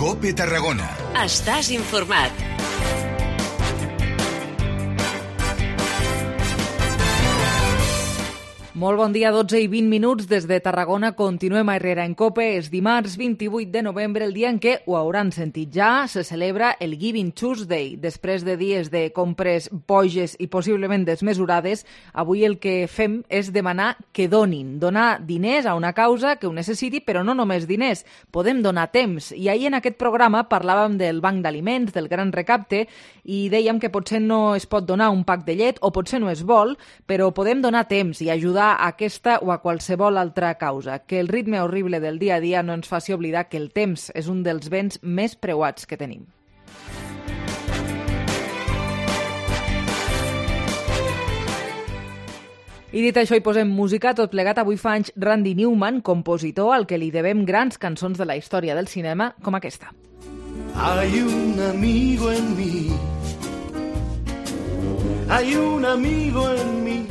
COPE Tarragona. Estàs informat. Molt bon dia, 12 i 20 minuts des de Tarragona. Continuem a Herrera en COPE. És dimarts 28 de novembre, el dia en què, ho hauran sentit ja, se celebra el Giving Tuesday. Després de dies de compres boges i possiblement desmesurades, avui el que fem és demanar que donin. Donar diners a una causa que ho necessiti, però no només diners. Podem donar temps. I ahir en aquest programa parlàvem del banc d'aliments, del gran recapte, i dèiem que potser no es pot donar un pack de llet, o potser no es vol, però podem donar temps i ajudar a aquesta o a qualsevol altra causa. Que el ritme horrible del dia a dia no ens faci oblidar que el temps és un dels béns més preuats que tenim. I dit això, hi posem música. Tot plegat, avui fa anys Randy Newman, compositor al que li devem grans cançons de la història del cinema, com aquesta. Hay un amigo en mí, hay un amigo en mí.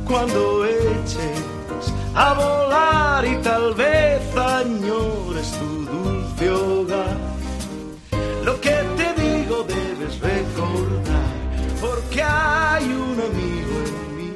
Cuando eches a volar y tal vez añores tu dulce hogar, lo que te digo debes recordar, porque hay un amigo en mí.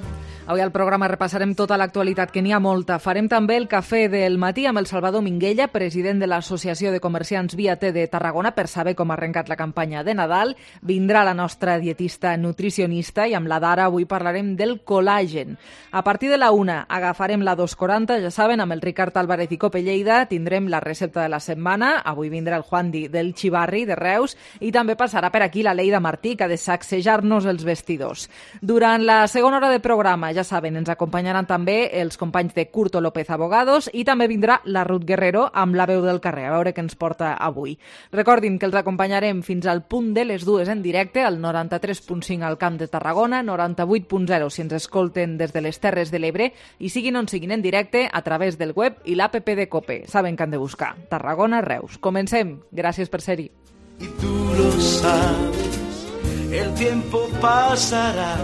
Avui al programa repassarem tota l'actualitat, que n'hi ha molta. Farem també el cafè del matí amb el Salvador Minguella, president de l'Associació de Comerciants Via T de Tarragona, per saber com ha arrencat la campanya de Nadal. Vindrà la nostra dietista nutricionista i amb la Dara avui parlarem del col·làgen. A partir de la 1 agafarem la 240, ja saben, amb el Ricard Álvarez i Cope Lleida. Tindrem la recepta de la setmana. Avui vindrà el Juandi del Xivarri, de Reus, i també passarà per aquí la Leida Martí, que ha de sacsejar-nos els vestidors. Durant la segona hora de programa, ja saben, ens acompanyaran també els companys de Curto López Abogados i també vindrà la Ruth Guerrero amb la veu del carrer, a veure què ens porta avui. Recordin que els acompanyarem fins al punt de les 2 en directe, al 93.5 al Camp de Tarragona, 98.0 si ens escolten des de les Terres de l'Ebre i siguin on siguin en directe a través del web i l'APP de COPE. Saben que han de buscar Tarragona Reus. Comencem. Gràcies per ser-hi. Y tú lo sabes, el tiempo pasará,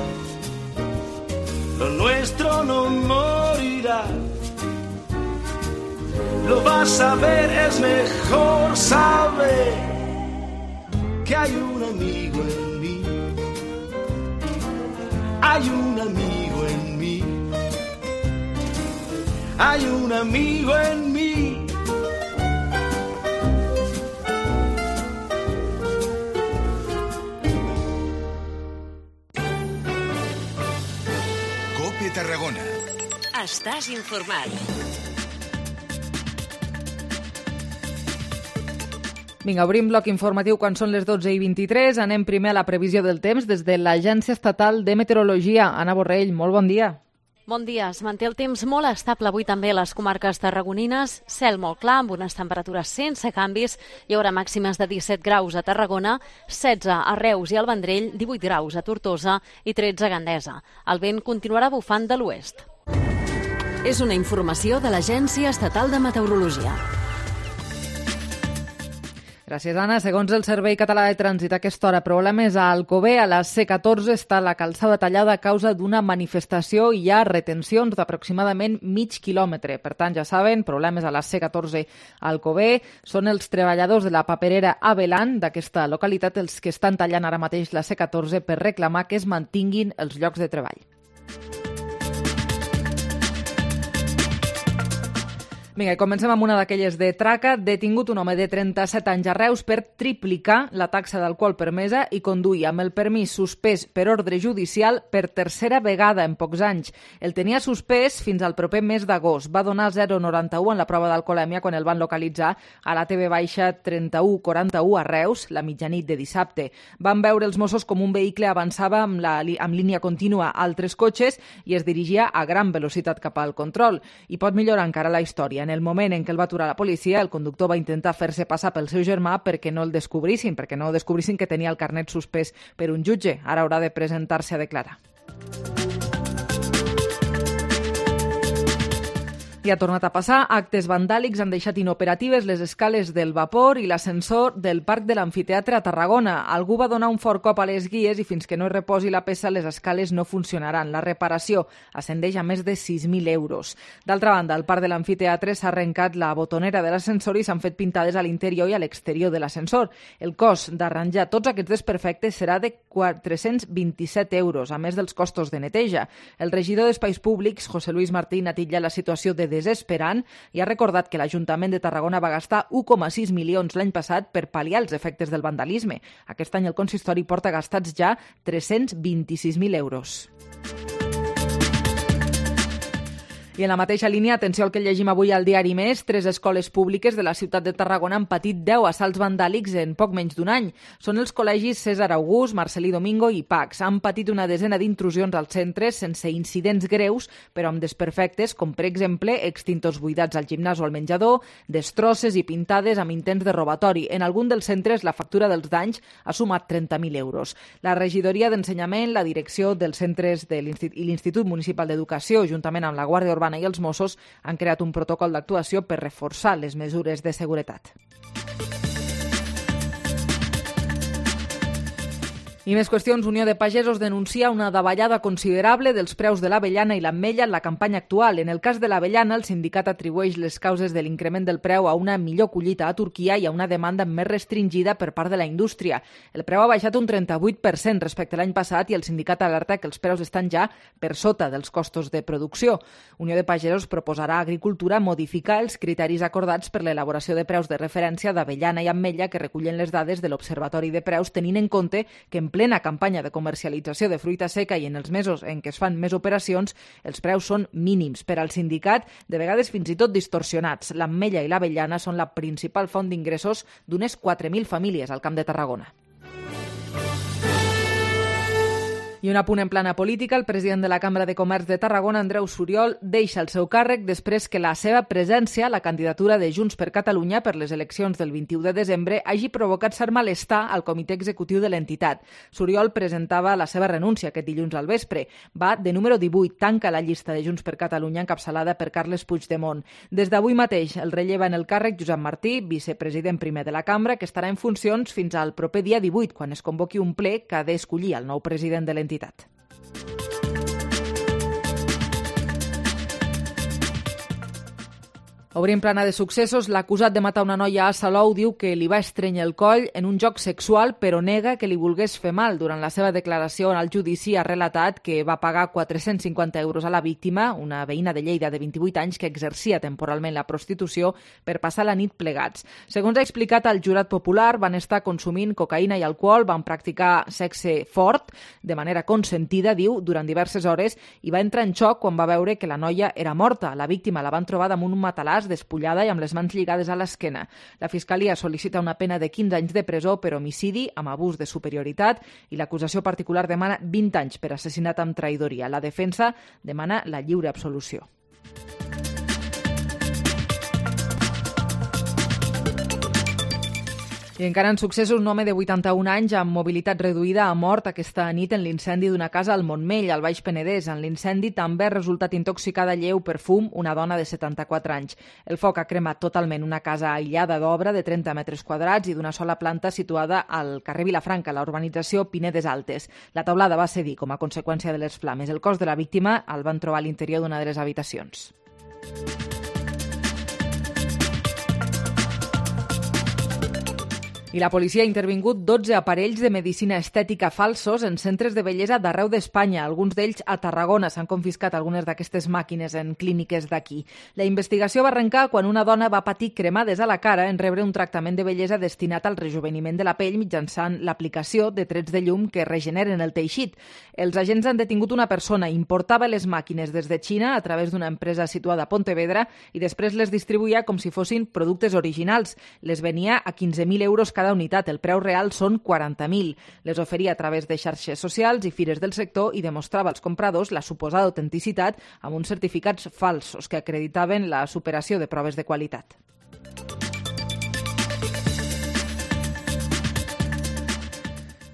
lo nuestro no morirá. Lo vas a ver, es mejor saber que hay un amigo en mí. Hay un amigo en mí. Hay un amigo en mí. COPE Tarragona. Estàs informat. Vinga, obrim bloc informatiu quan són les 12 i 23. Anem primer a la previsió del temps des de l'Agència Estatal de Meteorologia. Anna Borrell, molt bon dia. Bon dia. Es manté el temps molt estable avui també a les comarques tarragonines. Cel molt clar, amb unes temperatures sense canvis. Hi haurà màximes de 17 graus a Tarragona, 16 a Reus i al Vendrell, 18 graus a Tortosa i 13 a Gandesa. El vent continuarà bufant de l'oest. És una informació de l'Agència Estatal de Meteorologia. Gràcies, Anna. Segons el Servei Català de Trànsit, a aquesta hora problemes a Alcover. A la C14 està la calçada tallada a causa d'una manifestació i hi ha retencions d'aproximadament mig quilòmetre. Per tant, ja saben, problemes a la C14 a Alcover. Són els treballadors de la paperera Avelan d'aquesta localitat els que estan tallant ara mateix la C14 per reclamar que es mantinguin els llocs de treball. Vinga, i comencem amb una d'aquelles de traca. Detingut un home de 37 anys a Reus per triplicar la taxa d'alcohol permesa i conduir amb el permís suspès per ordre judicial per tercera vegada en pocs anys. El tenia suspès fins al proper mes d'agost. Va donar 0,91 en la prova d'alcoholèmia quan el van localitzar a la TV-3141 a Reus, la mitjanit de dissabte. Van veure els Mossos com un vehicle avançava amb línia contínua a altres cotxes i es dirigia a gran velocitat cap al control. I pot millorar encara la història. En el moment en què el va aturar la policia, el conductor va intentar fer-se passar pel seu germà perquè no descobrissin que tenia el carnet suspès per un jutge. Ara haurà de presentar-se a declarar. I ha tornat a passar. Actes vandàlics han deixat inoperatives les escales del vapor i l'ascensor del Parc de l'Amfiteatre a Tarragona. Algú va donar un fort cop a les guies i fins que no es reposi la peça les escales no funcionaran. La reparació ascendeix a més de 6.000 euros. D'altra banda, al Parc de l'Amfiteatre s'ha arrencat la botonera de l'ascensor i s'han fet pintades a l'interior i a l'exterior de l'ascensor. El cost d'arranjar tots aquests desperfectes serà de 427 euros, a més dels costos de neteja. El regidor d'Espais Públics, José Luis Martín, ha titllat la situació de desesperant i ha recordat que l'Ajuntament de Tarragona va gastar 1,6 milions l'any passat per pal·liar els efectes del vandalisme. Aquest any el consistori porta gastats ja 326.000 euros. I en la mateixa línia, atenció al que llegim avui al diari Més, 3 escoles públiques de la ciutat de Tarragona han patit 10 assalts vandàlics en poc menys d'un any. Són els col·legis César August, Marcelí Domingo i Pax. Han patit una desena d'intrusions als centres sense incidents greus, però amb desperfectes, com per exemple extintors buidats al gimnàs o al menjador, destrosses i pintades amb intents de robatori. En algun dels centres la factura dels danys ha sumat 30.000 euros. La regidoria d'Ensenyament, la direcció dels centres i l'Institut Municipal d'Educació, juntament amb la Guàrdia Urbana i els Mossos, han creat un protocol d'actuació per reforçar les mesures de seguretat. I més qüestions. Unió de Pagesos denuncia una davallada considerable dels preus de l'avellana i l'ametlla en la campanya actual. En el cas de l'avellana, el sindicat atribueix les causes de l'increment del preu a una millor collita a Turquia i a una demanda més restringida per part de la indústria. El preu ha baixat un 38% respecte a l'any passat i el sindicat alerta que els preus estan ja per sota dels costos de producció. Unió de Pagesos proposarà a Agricultura modificar els criteris acordats per l'elaboració de preus de referència d'avellana i ametlla que recullen les dades de l'Observatori de Preus, tenint en compte que en plena campanya de comercialització de fruita seca i en els mesos en què es fan més operacions, els preus són mínims. Per al sindicat, de vegades fins i tot distorsionats. L'ametlla i l'avellana són la principal font d'ingressos d'unes 4.000 famílies al Camp de Tarragona. I un apunt en plana política, el president de la Cambra de Comerç de Tarragona, Andreu Suriol, deixa el seu càrrec després que la seva presència a la candidatura de Junts per Catalunya per les eleccions del 21 de desembre hagi provocat cert malestar al comitè executiu de l'entitat. Suriol presentava la seva renúncia aquest dilluns al vespre. Va de número 18, tanca la llista de Junts per Catalunya encapçalada per Carles Puigdemont. Des d'avui mateix el relleva en el càrrec Josep Martí, vicepresident primer de la Cambra, que estarà en funcions fins al proper dia 18, quan es convoqui un ple que ha d'escollir el nou president de l'entitat. Obrim plana de successos. L'acusat de matar una noia a Salou diu que li va estrènyer el coll en un joc sexual, però nega que li volgués fer mal. Durant la seva declaració al judici ha relatat que va pagar 450 euros a la víctima, una veïna de Lleida de 28 anys que exercia temporalment la prostitució, per passar la nit plegats. Segons ha explicat al jurat popular, van estar consumint cocaïna i alcohol, van practicar sexe fort, de manera consentida, diu, durant diverses hores, i va entrar en xoc quan va veure que la noia era morta. La víctima la van trobar damunt un matalàs, despullada i amb les mans lligades a l'esquena. La Fiscalia sol·licita una pena de 15 anys de presó per homicidi amb abús de superioritat i l'acusació particular demana 20 anys per assassinat amb traïdoria. La defensa demana la lliure absolució. I encara en successos, un home de 81 anys amb mobilitat reduïda ha mort aquesta nit en l'incendi d'una casa al Montmell, al Baix Penedès. En l'incendi també ha resultat intoxicada lleu per fum una dona de 74 anys. El foc ha cremat totalment una casa aïllada d'obra de 30 metres quadrats i d'una sola planta situada al carrer Vilafranca, a la urbanització Pinedes Altes. La teulada va cedir com a conseqüència de les flames. El cos de la víctima el van trobar a l'interior d'una de les habitacions. I la policia ha intervingut 12 aparells de medicina estètica falsos en centres de bellesa d'arreu d'Espanya. Alguns d'ells a Tarragona. S'han confiscat algunes d'aquestes màquines en clíniques d'aquí. La investigació va arrencar quan una dona va patir cremades a la cara en rebre un tractament de bellesa destinat al rejuveniment de la pell mitjançant l'aplicació de trets de llum que regeneren el teixit. Els agents han detingut una persona, importava les màquines des de Xina a través d'una empresa situada a Pontevedra i després les distribuïa com si fossin productes originals. Les venia a 15.000 euros cada unitat. El preu real són 40.000. Les oferia a través de xarxes socials i fires del sector i demostrava als compradors la suposada autenticitat amb uns certificats falsos que acreditaven la superació de proves de qualitat.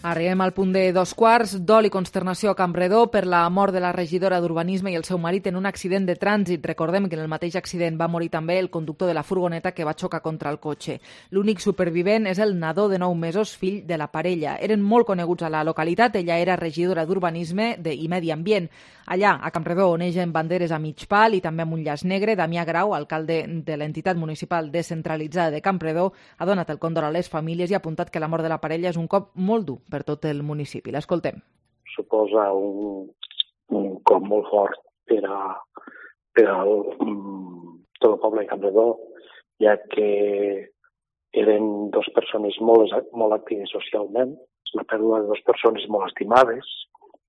Arribem al punt de 2:15. Dol i consternació a Campredó per la mort de la regidora d'Urbanisme i el seu marit en un accident de trànsit. Recordem que en el mateix accident va morir també el conductor de la furgoneta que va xocar contra el cotxe. L'únic supervivent és el nadó de 9 mesos, fill de la parella. Eren molt coneguts a la localitat. Ella era regidora d'Urbanisme i Medi Ambient. Allà, a Campredó, onegen banderes a mig pal i també amb un llaç negre. Damià Grau, alcalde de l'entitat municipal descentralitzada de Campredó, ha donat el condol a les famílies i ha apuntat que la mort de la parella és un cop molt dur per tot el municipi. L'escoltem. Suposa un cop molt fort per a tot el poble de Campredó, ja que eren dues persones molt actives socialment, la pèrdua de dues persones molt estimades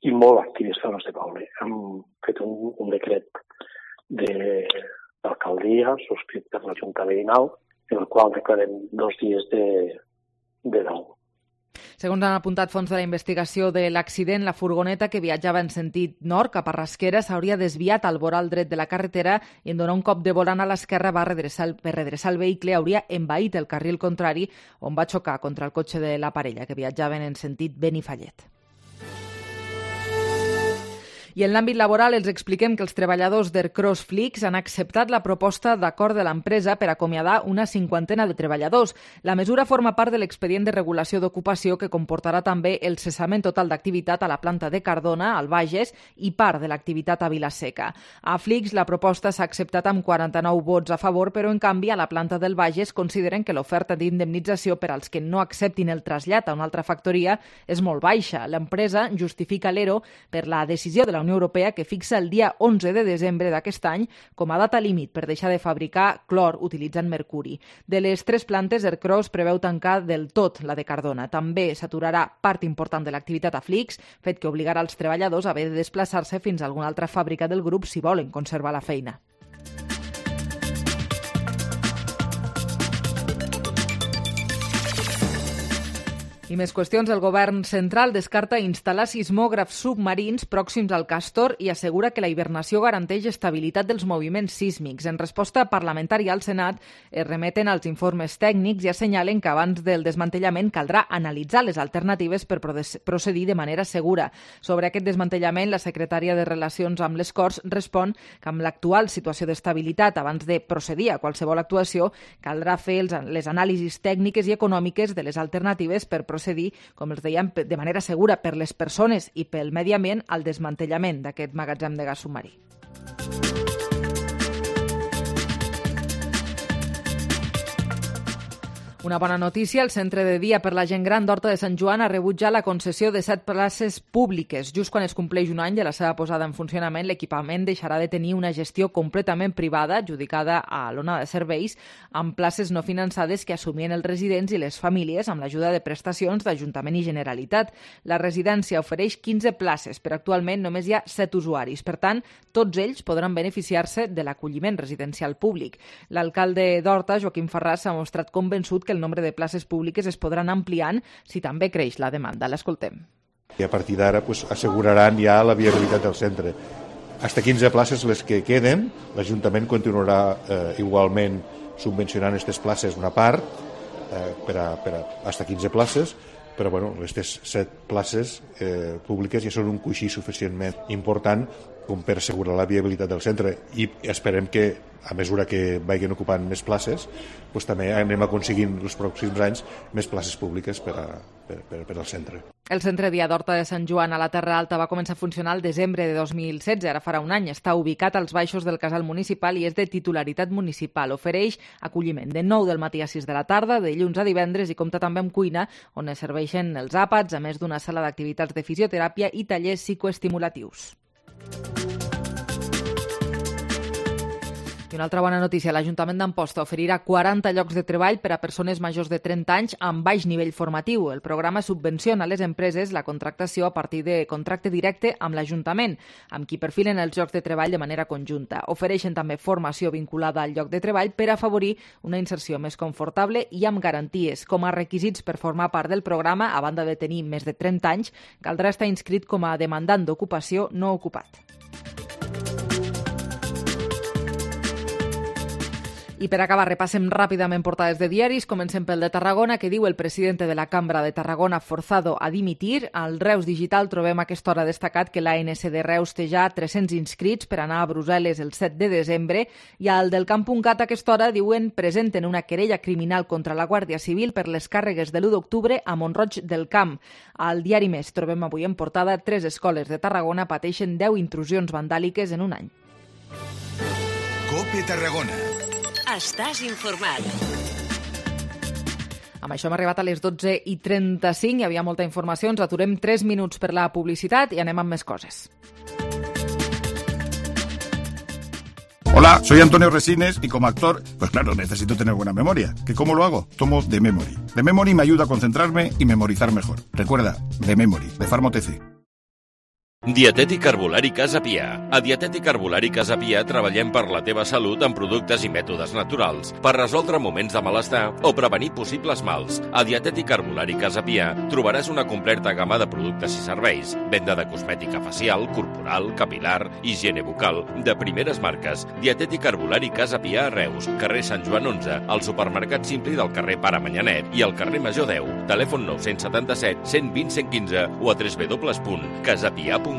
i molt actives pel nostre poble. Hem fet un decret d'alcaldia subscrit per la Junta Veïnal, en el qual declarem 2 dies de dol. Segons han apuntat fons de la investigació de l'accident, la furgoneta que viatjava en sentit nord cap a Rasquera s'hauria desviat al voral dret de la carretera i en donar un cop de volant a l'esquerra per redreçar el vehicle hauria envaït el carril contrari on va xocar contra el cotxe de la parella que viatjaven en sentit Benifallet. I en l'àmbit laboral els expliquem que els treballadors d'Ercros Flix han acceptat la proposta d'acord de l'empresa per acomiadar una 50ena de treballadors. La mesura forma part de l'expedient de regulació d'ocupació que comportarà també el cessament total d'activitat a la planta de Cardona, al Bages, i part de l'activitat a Vilaseca. A Flix la proposta s'ha acceptat amb 49 vots a favor, però en canvi a la planta del Bages consideren que l'oferta d'indemnització per als que no acceptin el trasllat a una altra factoria és molt baixa. L'empresa justifica l'ERO per la decisió de la Unió Europea que fixa el dia 11 de desembre d'aquest any com a data límit per deixar de fabricar clor utilitzant mercuri. De les 3 plantes, Ercros preveu tancar del tot la de Cardona. També s'aturarà part important de l'activitat a Flix, fet que obligarà els treballadors a haver de desplaçar-se fins a alguna altra fàbrica del grup si volen conservar la feina. I més qüestions. El govern central descarta instal·lar sismògrafs submarins pròxims al Castor i assegura que la hibernació garanteix estabilitat dels moviments sísmics. En resposta parlamentària al Senat es remeten als informes tècnics i assenyalen que abans del desmantellament caldrà analitzar les alternatives per procedir de manera segura. Sobre aquest desmantellament, la secretària de Relacions amb les Corts respon que amb l'actual situació d'estabilitat, abans de procedir a qualsevol actuació, caldrà fer les anàlisis tècniques i econòmiques de les alternatives per procedir, com els dèiem, de manera segura per les persones i pel medi ambient al desmantellament d'aquest magatzem de gas submarí. Una bona notícia, el Centre de Dia per la Gent Gran d'Horta de Sant Joan ha rebut ja la concessió de 7 places públiques. Just quan es compleix un any de la seva posada en funcionament, l'equipament deixarà de tenir una gestió completament privada, adjudicada a l'ONA de serveis, amb places no finançades que assumien els residents i les famílies amb l'ajuda de prestacions d'Ajuntament i Generalitat. La residència ofereix 15 places, però actualment només hi ha 7 usuaris. Per tant, tots ells podran beneficiar-se de l'acolliment residencial públic. L'alcalde d'Horta, Joaquim Ferràs, s'ha mostrat convençut que el nombre de places públiques es podran ampliant si també creix la demanda. L'escoltem. I a partir d'ara asseguraran ja la viabilitat del centre. Hasta 15 places les que queden, l'Ajuntament continuarà igualment subvencionant aquestes places una part per a hasta 15 places, però aquestes 7 places públiques ja són un coixí suficientment important com per assegurar la viabilitat del centre i esperem que a mesura que vagin ocupant més places també anem aconseguint els pròxims anys més places públiques per al centre. El Centre Dia d'Horta de Sant Joan a la Terra Alta va començar a funcionar el desembre de 2016, ara farà un any. Està ubicat als baixos del casal municipal i és de titularitat municipal. Ofereix acolliment de 9 del matí a 6 de la tarda, de dilluns a divendres, i compta també amb cuina, on es serveixen els àpats, a més d'una sala d'activitats de fisioteràpia i tallers psicoestimulatius. I una altra bona notícia, l'Ajuntament d'Amposta oferirà 40 llocs de treball per a persones majors de 30 anys amb baix nivell formatiu. El programa subvenciona a les empreses la contractació a partir de contracte directe amb l'Ajuntament, amb qui perfilen els llocs de treball de manera conjunta. Ofereixen també formació vinculada al lloc de treball per afavorir una inserció més confortable i amb garanties. Com a requisits per formar part del programa, a banda de tenir més de 30 anys, caldrà estar inscrit com a demandant d'ocupació no ocupat. I per acabar, repassem ràpidament portades de diaris. Comencem pel de Tarragona, que diu el president de la Cambra de Tarragona forzado a dimitir. Al Reus Digital trobem a aquesta hora destacat que l'ANC de Reus té ja 300 inscrits per anar a Brussel·les el 7 de desembre. I al del Camp.cat a aquesta hora diuen presenten una querella criminal contra la Guàrdia Civil per les càrregues de l'1 d'octubre a Mont-roig del Camp. Al diari Més trobem avui en portada 3 escoles de Tarragona pateixen 10 intrusions vandàliques en un any. COPE Tarragona. Estàs informat. Amb això hem arribat a les 12:35, hi havia molta informació, ens aturem 3 minuts per la publicitat i anem amb més coses. Hola, soy Antonio Resines y como actor, pues claro, necesito tener buena memoria. ¿Que cómo lo hago? Tomo The Memory. The Memory me ayuda a concentrarme y memorizar mejor. Recuerda, The Memory, de Farmotc. Dietètic Herbolari Casa Pia. A Dietètic Herbolari Casa Pia treballem per la teva salut amb productes i mètodes naturals, per resoldre moments de malestar o prevenir possibles mals. A Dietètic Herbolari Casa Pia trobaràs una completa gamma de productes i serveis, venda de cosmètica facial, corporal, capilar, higiene bucal, de primeres marques. Dietètic Herbolari Casa Pia a Reus, carrer Sant Joan 11, al supermercat Simpli del carrer Pare Manyanet i al carrer Major 10. Telèfon 977 120 115 o a www.casapia.com.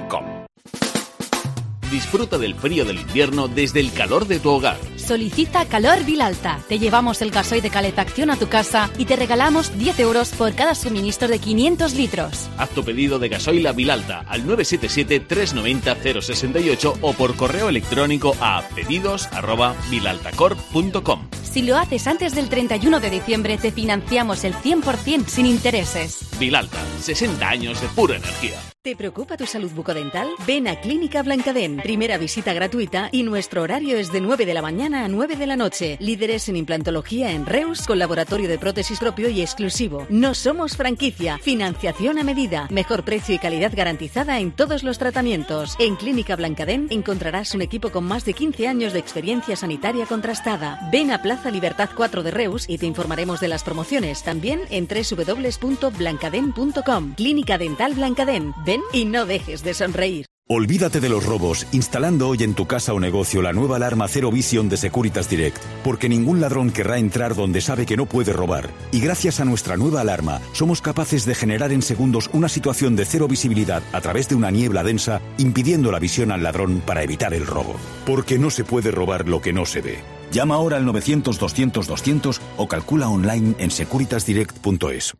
Disfruta del frío del invierno desde el calor de tu hogar. Solicita Calor Vilalta. Te llevamos el gasoil de calefacción a tu casa y te regalamos 10 euros por cada suministro de 500 litros. Haz tu pedido de gasoil a Vilalta al 977-390-068 o por correo electrónico a pedidos@vilaltacorp.com. Si lo haces antes del 31 de diciembre, te financiamos el 100% sin intereses. Vilalta, 60 años de pura energía. ¿Te preocupa tu salud bucodental? Ven a Clínica Blancadent. Primera visita gratuita y nuestro horario es de 9 de la mañana a 9 de la noche. Líderes en implantología en Reus, con laboratorio de prótesis propio y exclusivo. No somos franquicia. Financiación a medida. Mejor precio y calidad garantizada en todos los tratamientos. En Clínica Blancadent encontrarás un equipo con más de 15 años de experiencia sanitaria contrastada. Ven a Plaza Libertad 4 de Reus y te informaremos de las promociones. También en www.blancadent.com. Clínica Dental Blancadent. Ven y no dejes de sonreír. Olvídate de los robos, instalando hoy en tu casa o negocio la nueva alarma Zero Vision de Securitas Direct, porque ningún ladrón querrá entrar donde sabe que no puede robar. Y gracias a nuestra nueva alarma, somos capaces de generar en segundos una situación de cero visibilidad a través de una niebla densa, impidiendo la visión al ladrón para evitar el robo. Porque no se puede robar lo que no se ve. Llama ahora al 900-200-200 o calcula online en securitasdirect.es.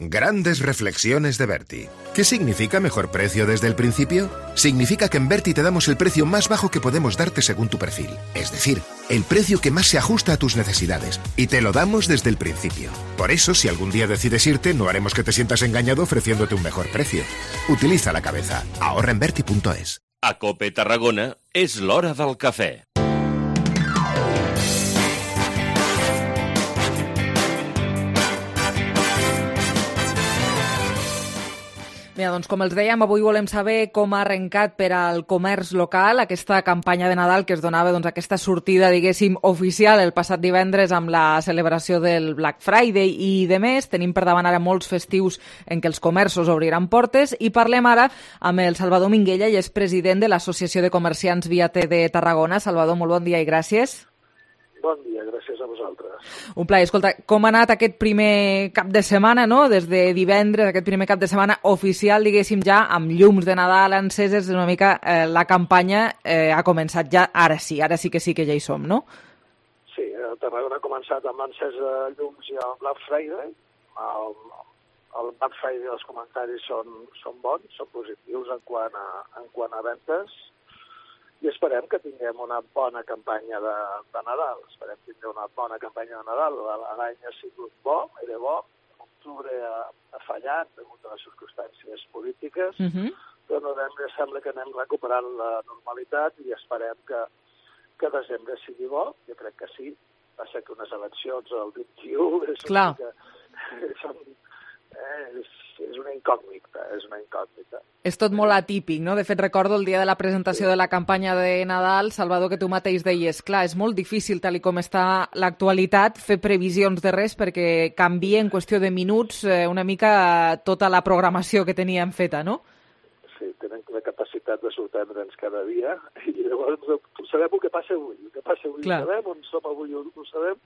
Grandes reflexiones de Berti. ¿Qué significa mejor precio desde el principio? Significa que en Berti te damos el precio más bajo que podemos darte según tu perfil. Es decir, el precio que más se ajusta a tus necesidades. Y te lo damos desde el principio. Por eso, si algún día decides irte, no haremos que te sientas engañado ofreciéndote un mejor precio. Utiliza la cabeza. Ahorra en Berti.es. A COPE Tarragona és l'hora del cafè. Mira, doncs com els dèiem, avui volem saber com ha arrencat per al comerç local aquesta campanya de Nadal que es donava aquesta sortida, diguéssim, oficial el passat divendres amb la celebració del Black Friday i de més. Tenim per davant ara molts festius en què els comerços obriran portes i parlem ara amb el Salvador Minguella, i és president de l'Associació de Comerciants Via T de Tarragona. Salvador, molt bon dia i gràcies. Bon dia, gràcies a vosaltres. Un plaer. Escolta, com ha anat aquest primer cap de setmana, no? Des de divendres, aquest primer cap de setmana oficial, diguéssim, ja amb llums de Nadal enceses, una mica la campanya ha començat ja, ara sí que ja hi som, no? Sí, Tarragona ha començat amb l'encès de llums i el Black Friday. El Black Friday, els comentaris són bons, són positius en quant a ventes, i esperem que tinguem una bona campanya de Nadal. Esperem tindre una bona campanya de Nadal. L'any ha sigut bo, era bo. L'octubre ha fallat degut a les circumstàncies polítiques, però a novembre sembla que anem recuperant la normalitat i esperem que desembre sigui bo. Jo crec que sí. Passa que unes eleccions el 21 és una incògnita, És tot molt atípic, no? De fet, recordo el dia de la presentació de la campanya de Nadal, Salvador, que tu mateix deies, clar, és molt difícil, tal com està l'actualitat, fer previsions de res perquè canvia en qüestió de minuts una mica tota la programació que teníem feta, no? Sí, tenen la capacitat necessitat de sorprendre'ns cada dia, i llavors sabem el que passa avui. El que passa avui ho sabem, on som avui ho sabem,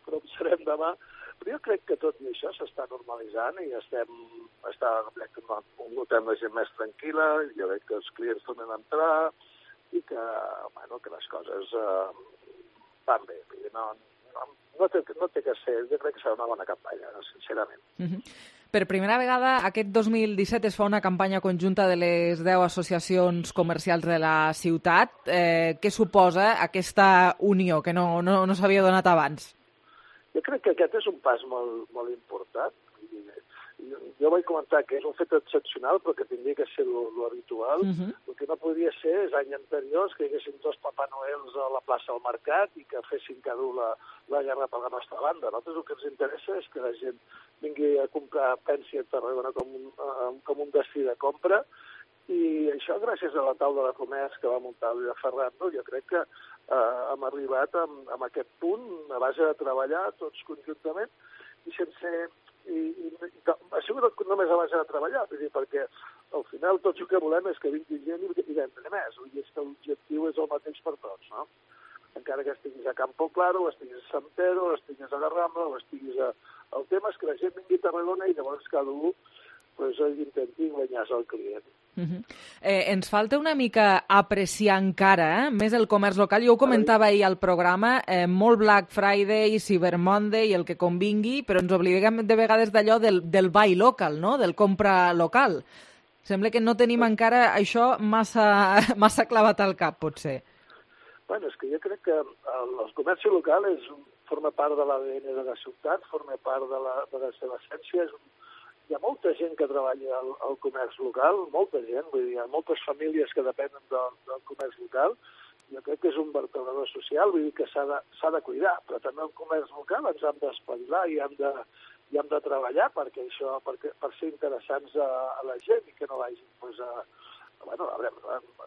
però on serem demà. Però jo crec que tot i això s'està normalitzant i notem la gent més tranquil·la, jo crec que els clients tornen a entrar i que les coses van bé. No té que ser, jo crec que serà una bona campanya, sincerament. Per primera vegada, aquest 2017 es fa una campanya conjunta de les 10 associacions comercials de la ciutat. Què suposa aquesta unió que no s'havia donat abans? Jo crec que aquest és un pas molt, molt important. Jo vaig comentar que és un fet excepcional, però que hauria de ser l'habitual. El que no podria ser és anys anteriors que hi haguessin 2 Papà Noels a la plaça del Mercat i que fessin cada un la guerra per la nostra banda. A nosaltres el que ens interessa és que la gent vingui a comprar, pensi a Tarragona com un destí de compra, i això gràcies a la taula de comerç que va muntar el Ferrando, jo crec que hem arribat a aquest punt a base de treballar tots conjuntament i sense... ha sigut només a base de treballar, perquè al final tot el que volem és que vingui gent i vendre més, i és que l'objectiu és el mateix per tots, no? Encara que estiguis a Campo Claro, o estiguis a Sant Pedro, o estiguis a la Rambla, o estiguis a... El tema és que la gent vingui a Tarragona i llavors cada un intenti guanyar-se el client. Ens falta una mica apreciar encara més el comerç local. Jo ho comentava ahir al programa, molt Black Friday, Cyber Monday, el que convingui, però ens oblidem de vegades d'allò del buy local, no? Del compra local. Sembla que no tenim encara això massa clavat al cap, potser. Bueno, és que jo crec que el comerç local forma part de l'ADN de la ciutat, forma part de la seva essència, hi ha molta gent que treballa al comerç local, molta gent, vull dir, hi ha moltes famílies que depenen del comerç local. Jo crec que és un vertebrador social, vull dir que s'ha de cuidar, però també el comerç local ens hem d'espavilar i hem de treballar per ser interessants a la gent i que no vagin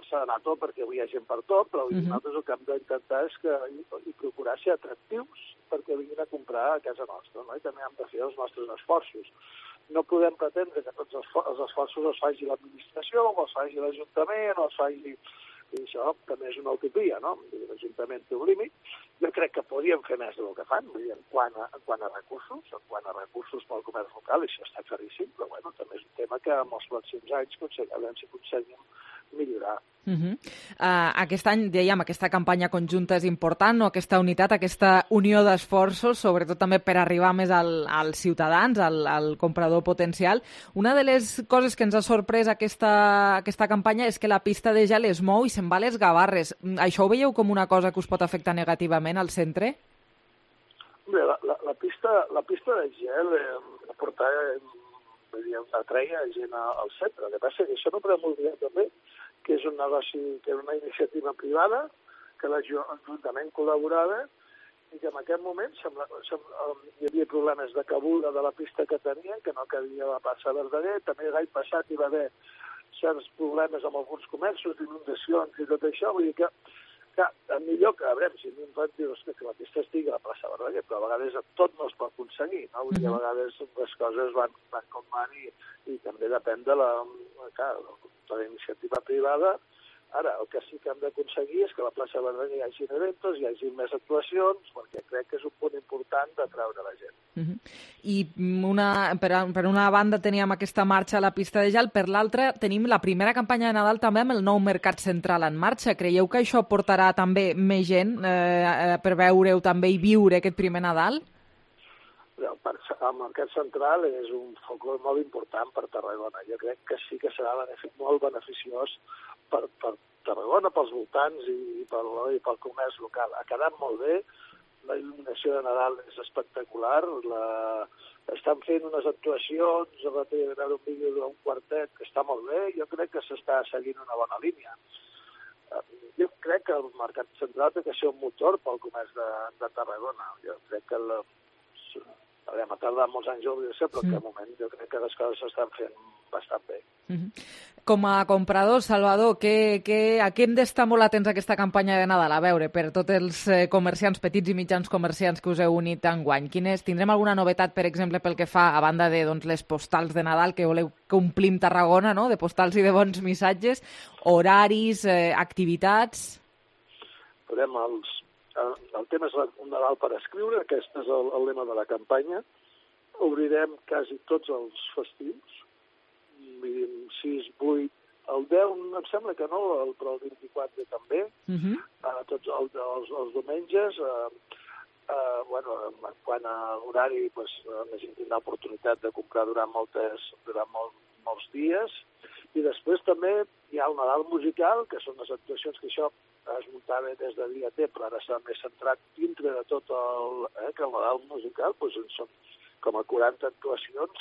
s'ha d'anar tot perquè avui hi ha gent per tot, però nosaltres el que hem d'intentar és procurar ser atractius perquè vinguin a comprar a casa nostra, no? I també hem de fer els nostres esforços. No podem pretendre que tots els esforços els faci l'administració, o els faci l'Ajuntament, o els faci... I això també és una utopia, no? L'Ajuntament té un límit. Jo crec que podríem fer més del que fan, en quant a recursos pel comerç local, això està claríssim, però bueno, també és un tema que en els pròxims anys aconseguim millorar. Aquest any, dèiem, aquesta campanya conjunta és important, no? Aquesta unitat, aquesta unió d'esforços, sobretot també per arribar més als ciutadans, al comprador potencial. Una de les coses que ens ha sorprès aquesta campanya és que la pista de gel es mou i se'n va a les Gavarres. Això ho veieu com una cosa que us pot afectar negativament al centre? Bé, la pista de gel atreia gent al centre. El que passa és que això no podem oblidar també que és un negoci, que era una iniciativa privada, que l'Ajuntament col·laborava i que en aquest moment hi havia problemes de cabuda de la pista que tenien, que no cabia la plaça Verdaguer. També l'any passat hi va haver certs problemes amb alguns comerços, d'inundacions i tot això. Vull dir que millor que, a veure, si a mi em fan dir que la pista estigui a la plaça Verdaguer, però a vegades tot no es pot aconseguir, no? Vull dir, a vegades les coses van com van i també depèn de la iniciativa privada. Ara, el que sí que hem d'aconseguir és que a la plaça Verdaguer hi hagi eventos, hi hagi més actuacions, perquè crec que és un punt important d'atraure la gent. I per una banda teníem aquesta marxa a la pista de gel, per l'altra tenim la primera campanya de Nadal també amb el nou Mercat Central en marxa. Creieu que això portarà també més gent per veure-ho també i viure aquest primer Nadal? El Mercat Central és un focus molt important per Tarragona. Jo crec que sí que serà molt beneficiós per Tarragona, pels voltants i pel comerç local. Ha quedat molt bé, la il·luminació de Nadal és espectacular, estan fent unes actuacions, va veure un vídeo d'un quartet que està molt bé, jo crec que s'està seguint una bona línia. Jo crec que el Mercat Central té que ser un motor pel comerç de Tarragona. Jo crec que ha tardat molts anys a obrir-se, però que de moment jo crec que les coses s'estan fent bastant bé. Com a comprador, Salvador, a què hem d'estar molt atents a aquesta campanya de Nadal? A veure, per tots els comerciants, petits i mitjans comerciants que us heu unit enguany, tindrem alguna novetat, per exemple, pel que fa, a banda de les postals de Nadal, que voleu que omplim Tarragona, no?, de postals i de bons missatges, horaris, activitats... El tema és un Nadal per escriure, aquest és el lema de la campanya. Obrirem quasi tots els festius, 6, 8, el 10 em sembla que no, però el 24 també, tots els diumenges. Quant a l'horari, la gent tindrà l'oportunitat de comprar durant molts dies, i després també hi ha el Nadal musical, que són les actuacions que això es muntava des de dia T, però ara s'ha més centrat dintre de tot que el Nadal musical, són com a 40 actuacions,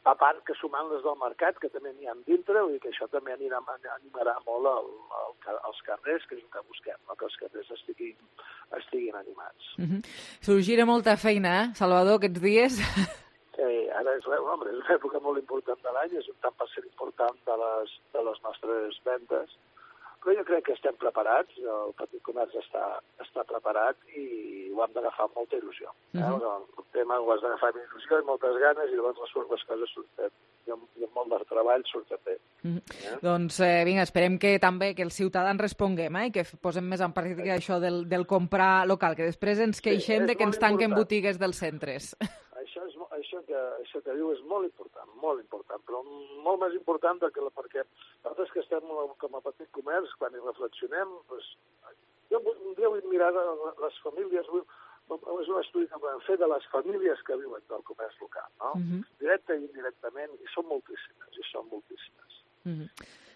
a part que sumant les del mercat, que també n'hi ha dintre, vull dir que això també animarà molt els carrers, que és el que busquem, que els carrers estiguin animats. Sorgirà molta feina, Salvador, aquests dies? Sí, ara és una època molt important de l'any, és un tant per cent important de les nostres vendes, però jo crec que estem preparats, el petit comerç està preparat i ho hem d'agafar amb molta il·lusió. El tema ho has d'agafar amb il·lusió i moltes ganes i llavors les coses surten. I amb molt de treball surten bé. Doncs vinga, esperem que també que els ciutadans responguem i que posem més en pràctica això del comprar local, que després ens queixem de que ens tanquen botigues dels centres. Això que diu és molt important, però molt més important perquè nosaltres que estem com a petit comerç, quan hi reflexionem, un dia vull mirar les famílies, és un estudi que podem fer de les famílies que viuen del comerç local, no? Directe i indirectament, i són moltíssimes.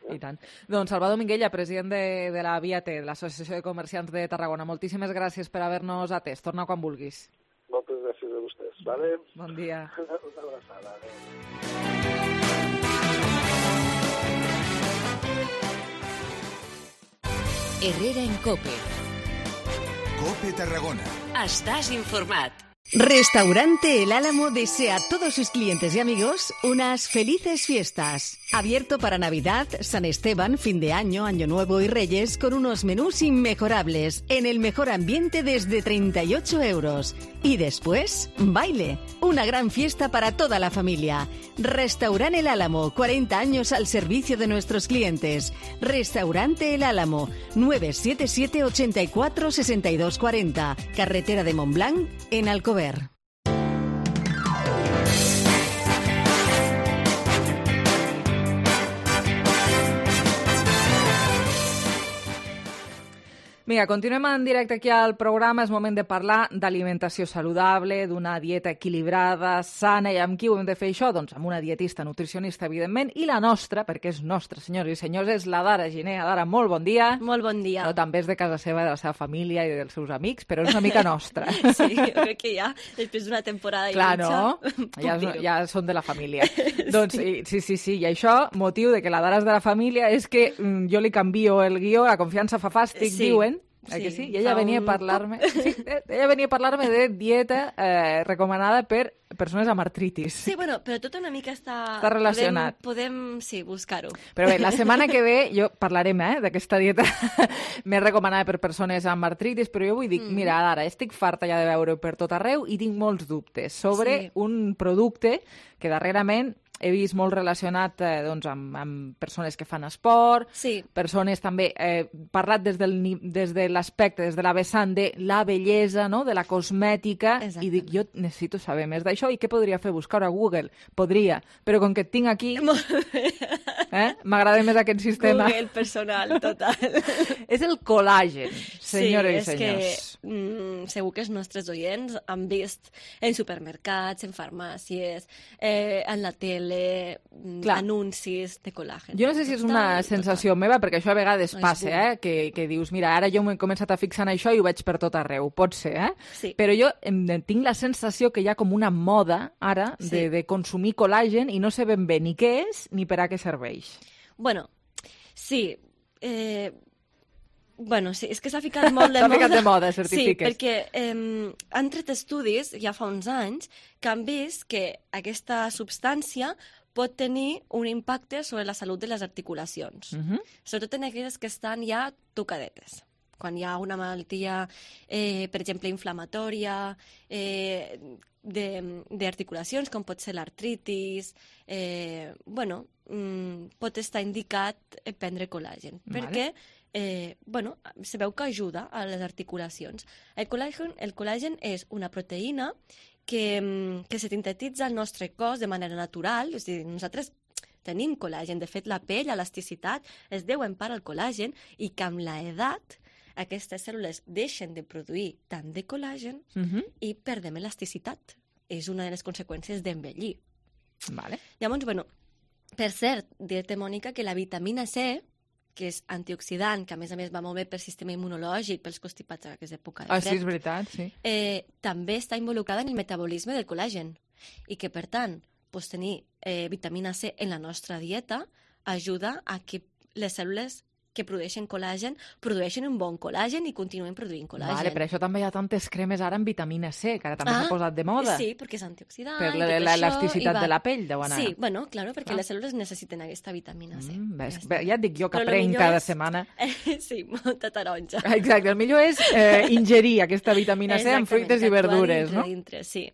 I tant. Doncs Salvador Minguella, president de la VIAT, de l'Associació de Comerciants de Tarragona, moltíssimes gràcies per haver-nos atès. Torna quan vulguis. Moltes gràcies a vostès. Vale? Bon dia. Una abraçada. Herrera en COPE. COPE Tarragona. Estás informat. Restaurante El Álamo desea a todos sus clientes y amigos unas felices fiestas. Abierto para Navidad, San Esteban, fin de año, Año Nuevo y Reyes con unos menús inmejorables en el mejor ambiente desde 38 euros. Y después, baile. Una gran fiesta para toda la familia. Restaurante El Álamo, 40 años al servicio de nuestros clientes. Restaurante El Álamo, 977 84 62 40. Carretera de Montblanc, en Alcover. Vinga, continuem en directe aquí al programa. És moment de parlar d'alimentació saludable, d'una dieta equilibrada, sana. I amb qui ho hem de fer això? Doncs amb una dietista, nutricionista, evidentment, i la nostra, perquè és nostra, senyors i senyors, és la Dara Giner. Dara, molt bon dia. Molt bon dia. No, també és de casa seva, de la seva família i dels seus amics, però és una mica nostra. Sí, jo crec que ja, després d'una temporada i clar, no? Ja són de la família. Doncs sí, i això, motiu de que la Dara és de la família, és que jo li canvio el guió, la confiança fa fàstic, diuen. Que sí? I ella venia a parlar-me de dieta recomanada per persones amb artritis. Sí, bueno, però tot una mica està relacionat. Podem buscar-ho. Però bé, la setmana que ve jo parlarem d'aquesta dieta més recomanada per persones amb artritis, però jo vull dir, mira, ara estic farta ja de veure per tot arreu i tinc molts dubtes sobre un producte que darrerament he vist molt relacionat amb persones que fan esport, persones també, parlat des de l'aspecte, des de la vessant de la bellesa, no? De la cosmètica, i dic, jo necessito saber més d'això, i què podria fer? Buscar a Google? Podria, però com que et tinc aquí, m'agrada més aquest sistema. Google personal, total. És el col·làgen, senyores i senyors. Sí, és que segur que els nostres oients han vist en supermercats, en farmàcies, en la tele, anuncis de col·làgen. Jo no sé si és una sensació meva, perquè això a vegades passa, que dius, mira, ara jo m'he començat a fixar en això i ho veig per tot arreu. Pot ser, Sí. Però jo tinc la sensació que hi ha com una moda ara de consumir col·làgen i no sé ben bé ni què és ni per a què serveix. Bueno, sí. Bueno, sí, és que s'ha ficat molt de moda. S'ha ficat de moda, certifiques. Sí, perquè han tret estudis, ja fa uns anys, que han vist que aquesta substància pot tenir un impacte sobre la salut de les articulacions. Sobretot en aquelles que estan ja tocadetes. Quan hi ha una malaltia, per exemple, inflamatòria, d'articulacions, com pot ser l'artritis, pot estar indicat prendre col·làgen, perquè se veu que ajuda a les articulacions. El col·làgen és una proteïna que se sintetitza al nostre cos de manera natural, és a dir, nosaltres tenim col·làgen, de fet la pell, l'elasticitat, es deu en part al col·làgen, i que amb l'edat aquestes cèl·lules deixen de produir tant de col·làgen i perdem elasticitat. És una de les conseqüències d'envellir. Llavors, per cert, dir-te, Mònica, que la vitamina C, que és antioxidant, que a més va molt bé pel sistema immunològic, pels constipats en aquesta època de fred. Sí, és veritat, sí. També està involucrada en el metabolisme del col·làgen i que, per tant, tenir vitamina C en la nostra dieta ajuda a que les cèl·lules que produeixen col·làgen produeixen un bon col·làgen i continuen produint col·làgen. Per això també hi ha tantes cremes ara amb vitamina C, que ara també s'ha posat de moda. Sí, perquè és antioxidant. Per l'elasticitat de la pell, deuen anar. Sí, clar, perquè les cèl·lules necessiten aquesta vitamina C. Ja et dic jo que prenc cada setmana. Sí, molta taronja. Exacte, el millor és ingerir aquesta vitamina C en fruites i verdures, no? Dintre, sí.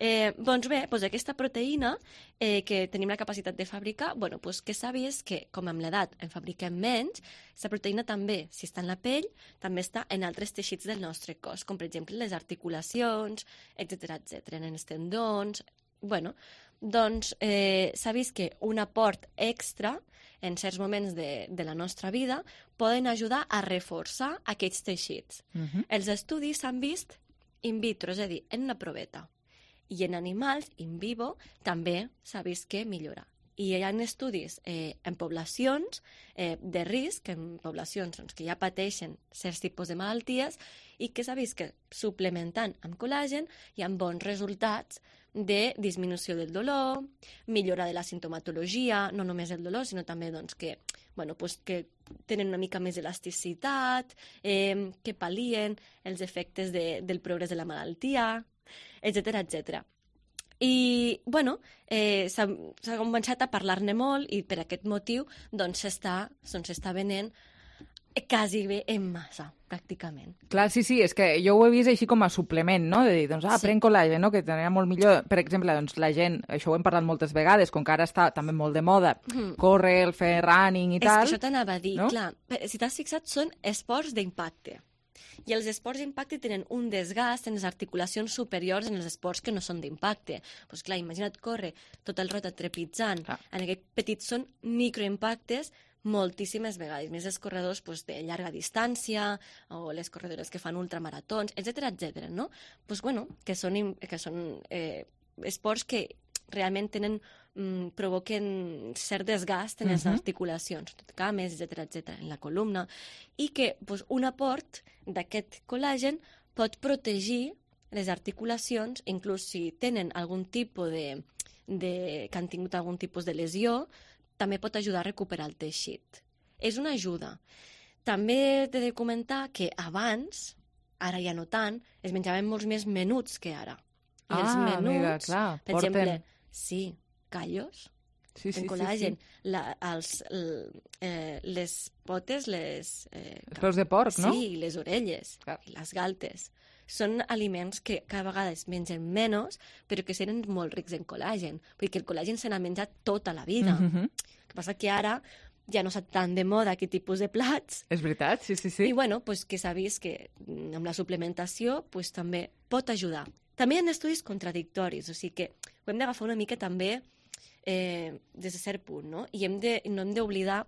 Doncs bé, aquesta proteïna que tenim la capacitat de fabricar, que s'ha vist que, com amb l'edat en fabriquem menys, aquesta proteïna també, si està en la pell, també està en altres teixits del nostre cos, com per exemple les articulacions, etc, en els tendons. Doncs s'ha vist que un aport extra en certs moments de la nostra vida poden ajudar a reforçar aquests teixits. Els estudis s'han vist in vitro, és a dir, en una proveta. I en animals, in vivo, també s'ha vist que millora. I hi ha estudis en poblacions de risc, en poblacions que ja pateixen certs tipus de malalties, i que s'ha vist que suplementant amb col·làgen hi ha bons resultats de disminució del dolor, millora de la sintomatologia, no només el dolor, sinó també que tenen una mica més elasticitat, que pal·lien els efectes del progrés de la malaltia, etc. I, s'ha començat a parlar-ne molt i per aquest motiu s'està venent quasi bé en massa, pràcticament. Clar, sí, és que jo ho he vist així com a suplement, no? De dir, prenc col·làgen, no? Que tenia molt millor. Per exemple, la gent, això ho hem parlat moltes vegades, com que ara està també molt de moda, córrer, fer running i tal. És que això t'anava a dir, clar. Si t'has fixat, són esports d'impacte. I els esports d'impacte tenen un desgast en les articulacions superiors en els esports que no són d'impacte. Doncs clar, imagina't córrer tot el rato trepitzant. En aquest petit són microimpactes moltíssimes vegades, més els corredors de llarga distància o les corredores que fan ultramaratons, etc, no? Que són esports que realment provoquen cert desgast en les articulacions, cames, etc, en la columna, i que un aport d'aquest col·làgen pot protegir les articulacions, inclús si tenen algun tipus que han tingut algun tipus de lesió, també pot ajudar a recuperar el teixit. És una ajuda. També t'he de comentar que abans, ara ja no tant, es menjaven molts més menuts que ara. I els menuts, mira, clar, per exemple, callos, en col·làgen, les potes, els peus de porc, no? Sí, les orelles, les galtes. Són aliments que cada vegada es mengen menys, però que seren molt rics en col·làgen, perquè el col·làgen se n'ha menjat tota la vida. El que passa que ara ja no està tan de moda aquest tipus de plats. És veritat, sí. I que s'ha vist que amb la suplementació també pot ajudar. També hi ha estudis contradictoris, o sigui que ho hem d'agafar una mica també des de cert punt, no? I no hem d'oblidar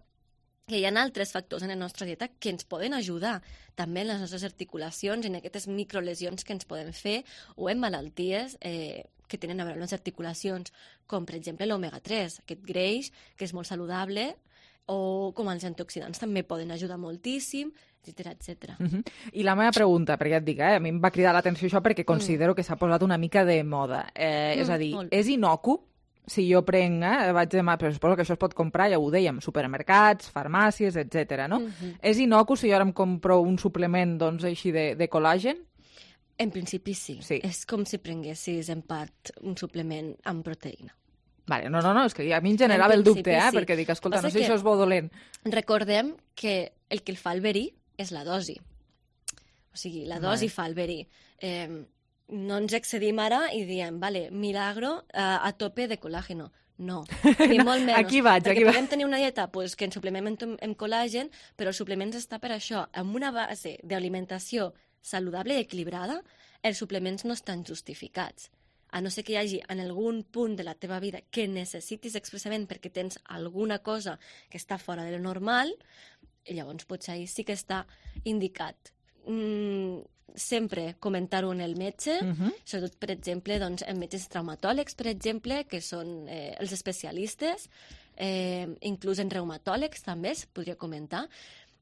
que hi ha altres factors en la nostra dieta que ens poden ajudar també en les nostres articulacions, en aquestes microlesions que ens poden fer, o en malalties que tenen a veure amb les articulacions, com per exemple l'omega-3, aquest greix que és molt saludable, o com els antioxidants també poden ajudar moltíssim, etc. I la meva pregunta, perquè ja et dic, a mi em va cridar l'atenció això perquè considero que s'ha posat una mica de moda. És a dir, és inocu si jo prenc, vaig demà, però suposo que això es pot comprar, ja ho dèiem, supermercats, farmàcies, etc. no? És innocu si jo ara em compro un suplement, doncs, així de col·làgen? En principi sí. És com si prenguessis en part un suplement amb proteïna. Vale, no, és que a mi em generava el dubte, perquè dic, escolta, no sé si això és bo o dolent. Recordem que el que el fa el verí és la dosi. O sigui, la dosi fa el verí. No ens excedim ara i diem, vale, milagro a tope de col·làgeno. No, ni molt menys. Aquí vaig. Podem tenir una dieta que ens suplementem amb col·làgen, però el suplement està per això. Amb una base d'alimentació saludable i equilibrada, els suplements no estan justificats. A no ser que hi hagi en algun punt de la teva vida que necessitis expressament perquè tens alguna cosa que està fora de lo normal, i llavors potser ahir sí que està indicat. Sempre comentar-ho en el metge, sobretot, per exemple, doncs, en metges traumatòlegs, per exemple, que són els especialistes, inclús en reumatòlegs també es podria comentar,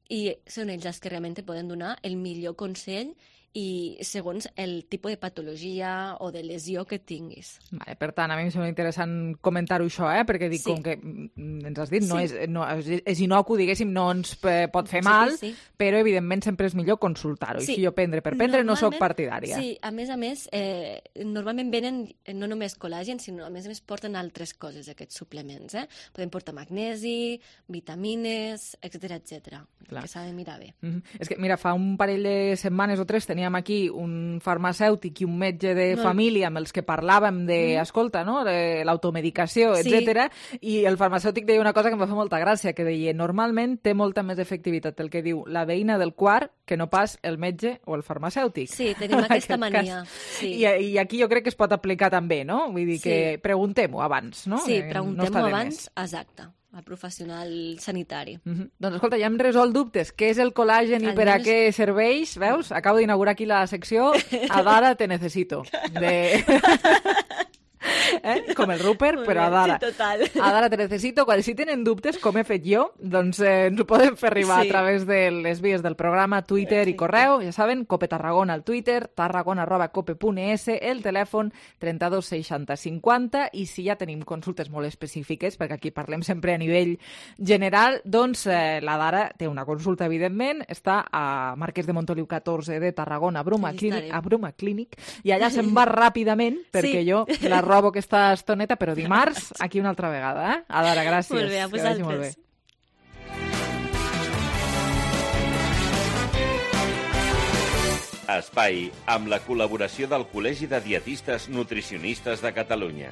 i són ells els que realment et poden donar el millor consell i segons el tipus de patologia o de lesió que tinguis. Vale, per tant, a mi em sembla interessant comentar-ho això, perquè dic, com que ens has dit, és inocu, diguéssim, no ens pot fer mal, però evidentment sempre és millor consultar-ho. I si jo prendre per prendre no sóc partidària. Sí, a més, normalment venen no només col·làgen, sinó a més porten altres coses, aquests suplements. Poden portar magnesi, vitamines, etc. Que s'ha de mirar bé. És que, mira, fa un parell de setmanes o 3 teníem aquí un farmacèutic i un metge de família amb els que parlàvem de, escolta, no?, de l'automedicació, etc. I el farmacèutic deia una cosa que em va fer molta gràcia, que deia, normalment té molta més efectivitat el que diu la veïna del quart que no pas el metge o el farmacèutic. Sí, tenim aquesta mania. I aquí jo crec que es pot aplicar també, no? Vull dir que preguntem-ho abans, no? Sí, preguntem-ho abans, exacte, al professional sanitari. Doncs escolta, ja hem resolt dubtes. Què és el col·làgen i per a què serveix? Veus? Acabo d'inaugurar aquí la secció Adara te necesito. Com el Rupert, però Adara. Sí, total. Adara te necesito. Si tenen dubtes, com he fet jo, doncs ens ho poden fer arribar a través de les vies del programa, Twitter i correu. Ja saben, Cope Tarragona al Twitter, tarragona@cope.es, el telèfon 32 60 50, i si ja tenim consultes molt específiques, perquè aquí parlem sempre a nivell general, doncs la Dara té una consulta, evidentment, està a Marquès de Montoliu 14 de Tarragona, a Bruma Clínic, i allà se'n va ràpidament, perquè jo la robo aquesta estoneta, però dimarts, aquí una altra vegada. Adara, gràcies. Molt bé, a vosaltres. Espai amb la col·laboració del Col·legi de Dietistes Nutricionistes de Catalunya.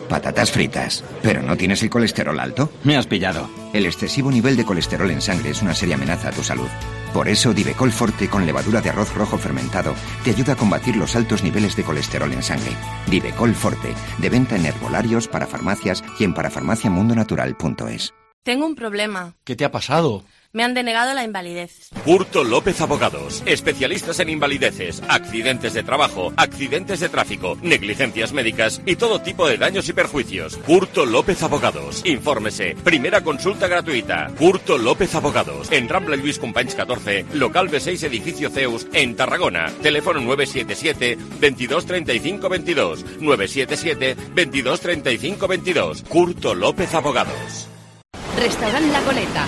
Patatas fritas. ¿Pero no tienes el colesterol alto? Me has pillado. El excesivo nivel de colesterol en sangre es una seria amenaza a tu salud. Por eso, Divecol Forte con levadura de arroz rojo fermentado te ayuda a combatir los altos niveles de colesterol en sangre. Divecol Forte, de venta en herbolarios, parafarmacias y en parafarmaciamundonatural.es. Tengo un problema. ¿Qué te ha pasado? Me han denegado la invalidez. Curto López Abogados, especialistas en invalideces, accidentes de trabajo, accidentes de tráfico, negligencias médicas y todo tipo de daños y perjuicios. Curto López Abogados. Infórmese. Primera consulta gratuita. Curto López Abogados. En Rambla Lluís Companys 14, local B6, edificio Zeus, en Tarragona. Teléfono 977 22 35 22. 977 22 35 22. Curto López Abogados. Restaurant La Goleta.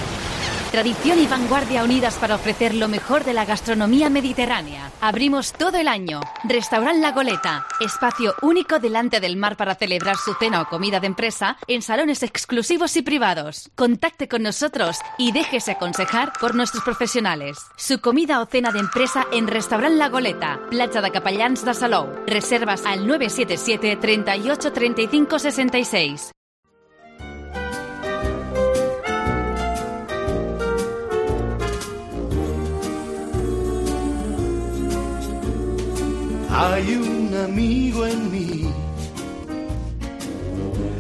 Tradición y vanguardia unidas para ofrecer lo mejor de la gastronomía mediterránea. Abrimos todo el año. Restaurant La Goleta, espacio único delante del mar para celebrar su cena o comida de empresa en salones exclusivos y privados. Contacte con nosotros y déjese aconsejar por nuestros profesionales. Su comida o cena de empresa en Restaurant La Goleta, Platja de Capellans de Salou. Reservas al 977 38 35 66. Hay un amigo en mí.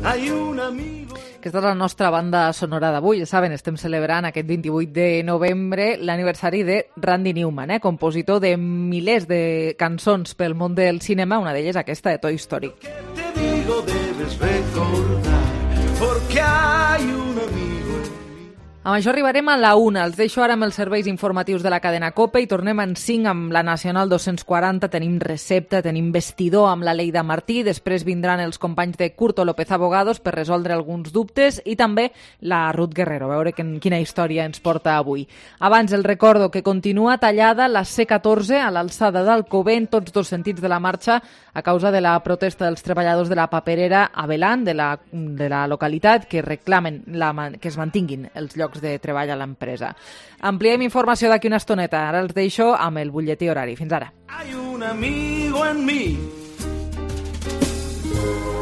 Hay un amigo. Aquesta és la nostra banda sonora d'avui. Ja saben, estem celebrant aquest 28 de novembre l'aniversari de Randy Newman, compositor de milers de cançons pel món del cinema, una d'elles aquesta de Toy Story. Te digo, debes recordar, porque hay un amigo en mí. Amb això arribarem a la 1. Els deixo ara amb els serveis informatius de la cadena COPE i tornem en 5 amb la Nacional 240. Tenim recepta, tenim vestidor amb la Leida Martí, després vindran els companys de Curto López Abogados per resoldre alguns dubtes i també la Ruth Guerrero, a veure quina història ens porta avui. Abans el recordo que continua tallada la C14 a l'alçada d'Alcover en tots dos sentits de la marxa a causa de la protesta dels treballadors de la paperera Avelant de la localitat que reclamen que es mantinguin els llocs de treball a l'empresa. Ampliem informació d'aquí una estoneta. Ara els deixo amb el butlletí horari. Fins ara. Hay un amigo en mí,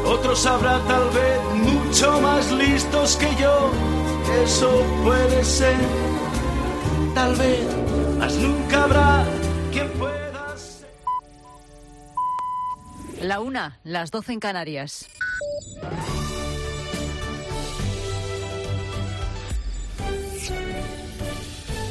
otros habrá tal vez mucho más listos que yo, eso puede ser, tal vez, mas nunca habrá quien pueda ser. La 1, las 12 en Canarias.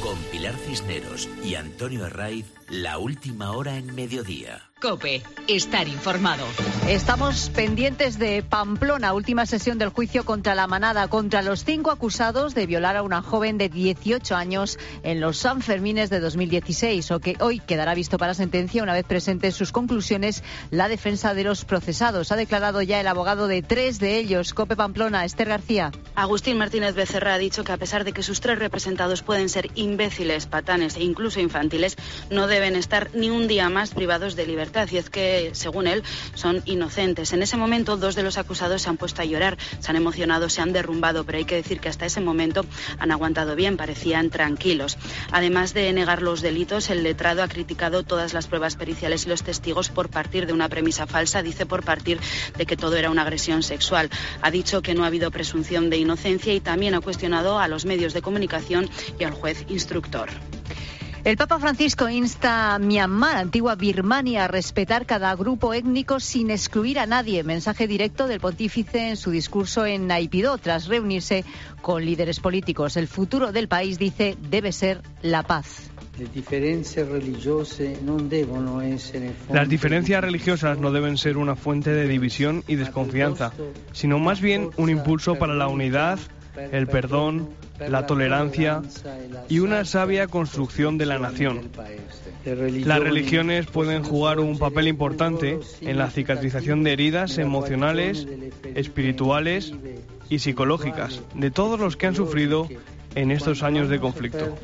Con Pilar Cisneros y Antonio Herraiz, la última hora en mediodía. COPE, estar informado. Estamos pendientes de Pamplona, última sesión del juicio contra la manada, contra los 5 acusados de violar a una joven de 18 años en los Sanfermines de 2016, o que hoy quedará visto para sentencia una vez presenten sus conclusiones la defensa de los procesados. Ha declarado ya el abogado de 3 de ellos. COPE Pamplona, Esther García. Agustín Martínez Becerra ha dicho que a pesar de que sus 3 representados pueden ser imbéciles, patanes e incluso infantiles, no deben estar ni un día más privados de libertad. Y es que, según él, son inocentes. En ese momento, 2 de los acusados se han puesto a llorar, se han emocionado, se han derrumbado, pero hay que decir que hasta ese momento han aguantado bien, parecían tranquilos. Además de negar los delitos, el letrado ha criticado todas las pruebas periciales y los testigos por partir de una premisa falsa, dice por partir de que todo era una agresión sexual. Ha dicho que no ha habido presunción de inocencia y también ha cuestionado a los medios de comunicación y al juez instructor. El Papa Francisco insta a Myanmar, antigua Birmania, a respetar cada grupo étnico sin excluir a nadie. Mensaje directo del pontífice en su discurso en Naipidó, tras reunirse con líderes políticos. El futuro del país, dice, debe ser la paz. Las diferencias religiosas no deben ser una fuente de división y desconfianza, sino más bien un impulso para la unidad, el perdón, la tolerancia y una sabia construcción de la nación. Las religiones pueden jugar un papel importante en la cicatrización de heridas emocionales, espirituales y psicológicas de todos los que han sufrido en estos años de conflicto.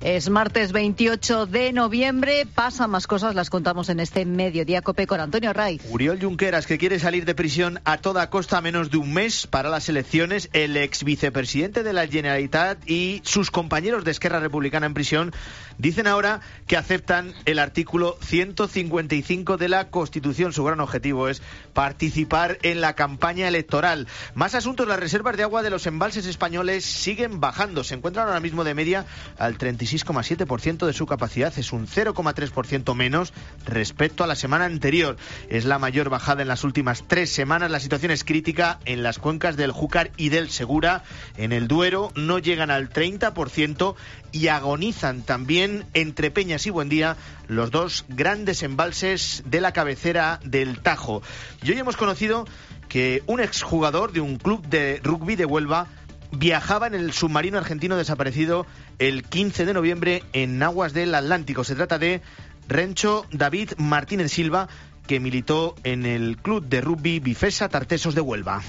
Es martes 28 de noviembre. Pasan más cosas, las contamos en este Mediodía COPE con Antonio Herraiz. Oriol Junqueras, que quiere salir de prisión a toda costa a menos de un mes para las elecciones. El ex vicepresidente de la Generalitat y sus compañeros de Esquerra Republicana en prisión dicen ahora que aceptan el artículo 155 de la Constitución. Su gran objetivo es participar en la campaña electoral. Más asuntos: las reservas de agua de los embalses españoles siguen bajando. Se encuentran ahora mismo de media al 36,7% de su capacidad. Es un 0,3% menos respecto a la semana anterior. Es la mayor bajada en las últimas 3 semanas. La situación es crítica en las cuencas del Júcar y del Segura. En el Duero no llegan al 30% y agonizan también entre Peñas y Buendía los 2 grandes embalses de la cabecera del Tajo. Y hoy hemos conocido que un exjugador de un club de rugby de Huelva viajaba en el submarino argentino desaparecido el 15 de noviembre en aguas del Atlántico. Se trata de Rencho David Martínez Silva, que militó en el club de rugby Bifesa Tartesos de Huelva.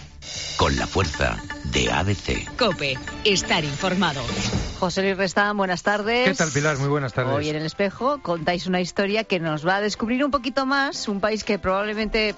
Con la fuerza de ABC. COPE, estar informado. José Luis Restán, buenas tardes. ¿Qué tal, Pilar? Muy buenas tardes. Hoy en El Espejo contáis una historia que nos va a descubrir un poquito más, un país que probablemente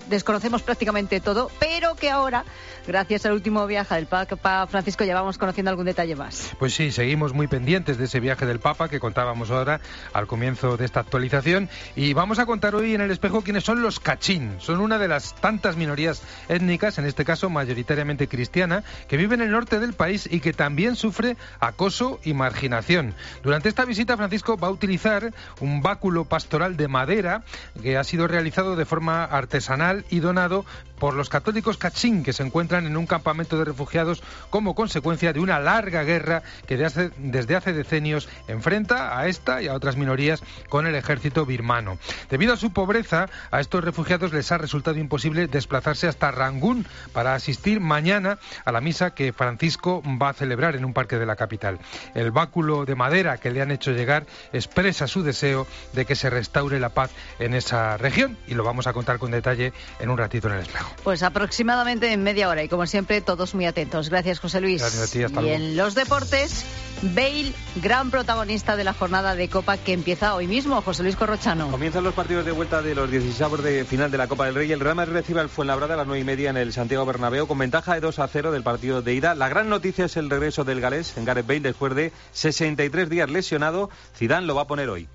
desconocemos prácticamente todo, pero que ahora, gracias al último viaje del Papa Francisco, ya vamos conociendo algún detalle más. Pues sí, seguimos muy pendientes de ese viaje del Papa que contábamos ahora al comienzo de esta actualización, y vamos a contar hoy en El Espejo quiénes son los Kachin. Son una de las tantas minorías étnicas, en este caso mayoritariamente cristiana, que vive en el norte del país y que también sufre acoso y marginación. Durante esta visita, Francisco va a utilizar un báculo pastoral de madera que ha sido realizado de forma artesanal y donado por los católicos kachin que se encuentran en un campamento de refugiados como consecuencia de una larga guerra que desde hace decenios enfrenta a esta y a otras minorías con el ejército birmano. Debido a su pobreza, a estos refugiados les ha resultado imposible desplazarse hasta Rangún para asistir mañana a la misa que Francisco va a celebrar en un parque de la capital. El báculo de madera que le han hecho llegar expresa su deseo de que se restaure la paz en esa región y lo vamos a contar con detalle en un ratito en el espejo. Pues aproximadamente en media hora y como siempre todos muy atentos. Gracias, José Luis. Gracias a ti, hasta luego. Y en los deportes, Bale, gran protagonista de la jornada de Copa que empieza hoy mismo. José Luis Corrochano. Comienzan los partidos de vuelta de los 16avos de final de la Copa del Rey. El Real Madrid recibe al Fuenlabrada a las 9:30 en el Santiago Bernabéu con ventaja de 2-0 del partido de ida. La gran noticia es el regreso del galés en Gareth Bale después de 63 días lesionado. Zidane lo va a poner hoy.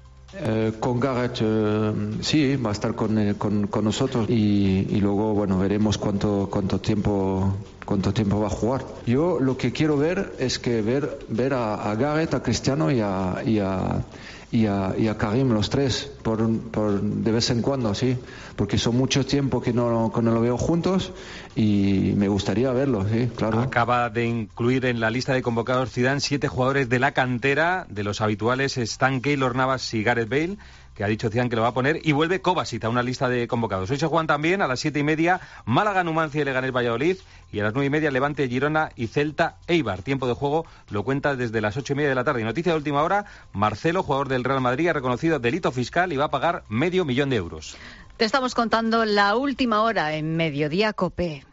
Con Gareth sí, va a estar con nosotros y luego bueno veremos cuánto tiempo va a jugar. Yo lo que quiero ver es que ver a Gareth, a Cristiano y a Karim, los tres, de vez en cuando, sí, porque son mucho tiempo que no lo veo juntos y me gustaría verlos, sí, claro. Acaba de incluir en la lista de convocados Zidane 7 jugadores de la cantera, de los habituales están Keylor Navas y Gareth Bale, que ha dicho Zidane que lo va a poner, y vuelve Kovacic a una lista de convocados. Hoy se juegan también a las 7:30 Málaga, Numancia y Leganés Valladolid, y a las 9:30 Levante, Girona y Celta Eibar. Tiempo de juego lo cuenta desde las 8:30 de la tarde. Y noticia de última hora, Marcelo, jugador del Real Madrid, ha reconocido delito fiscal y va a pagar €500,000. Te estamos contando la última hora en Mediodía COPE.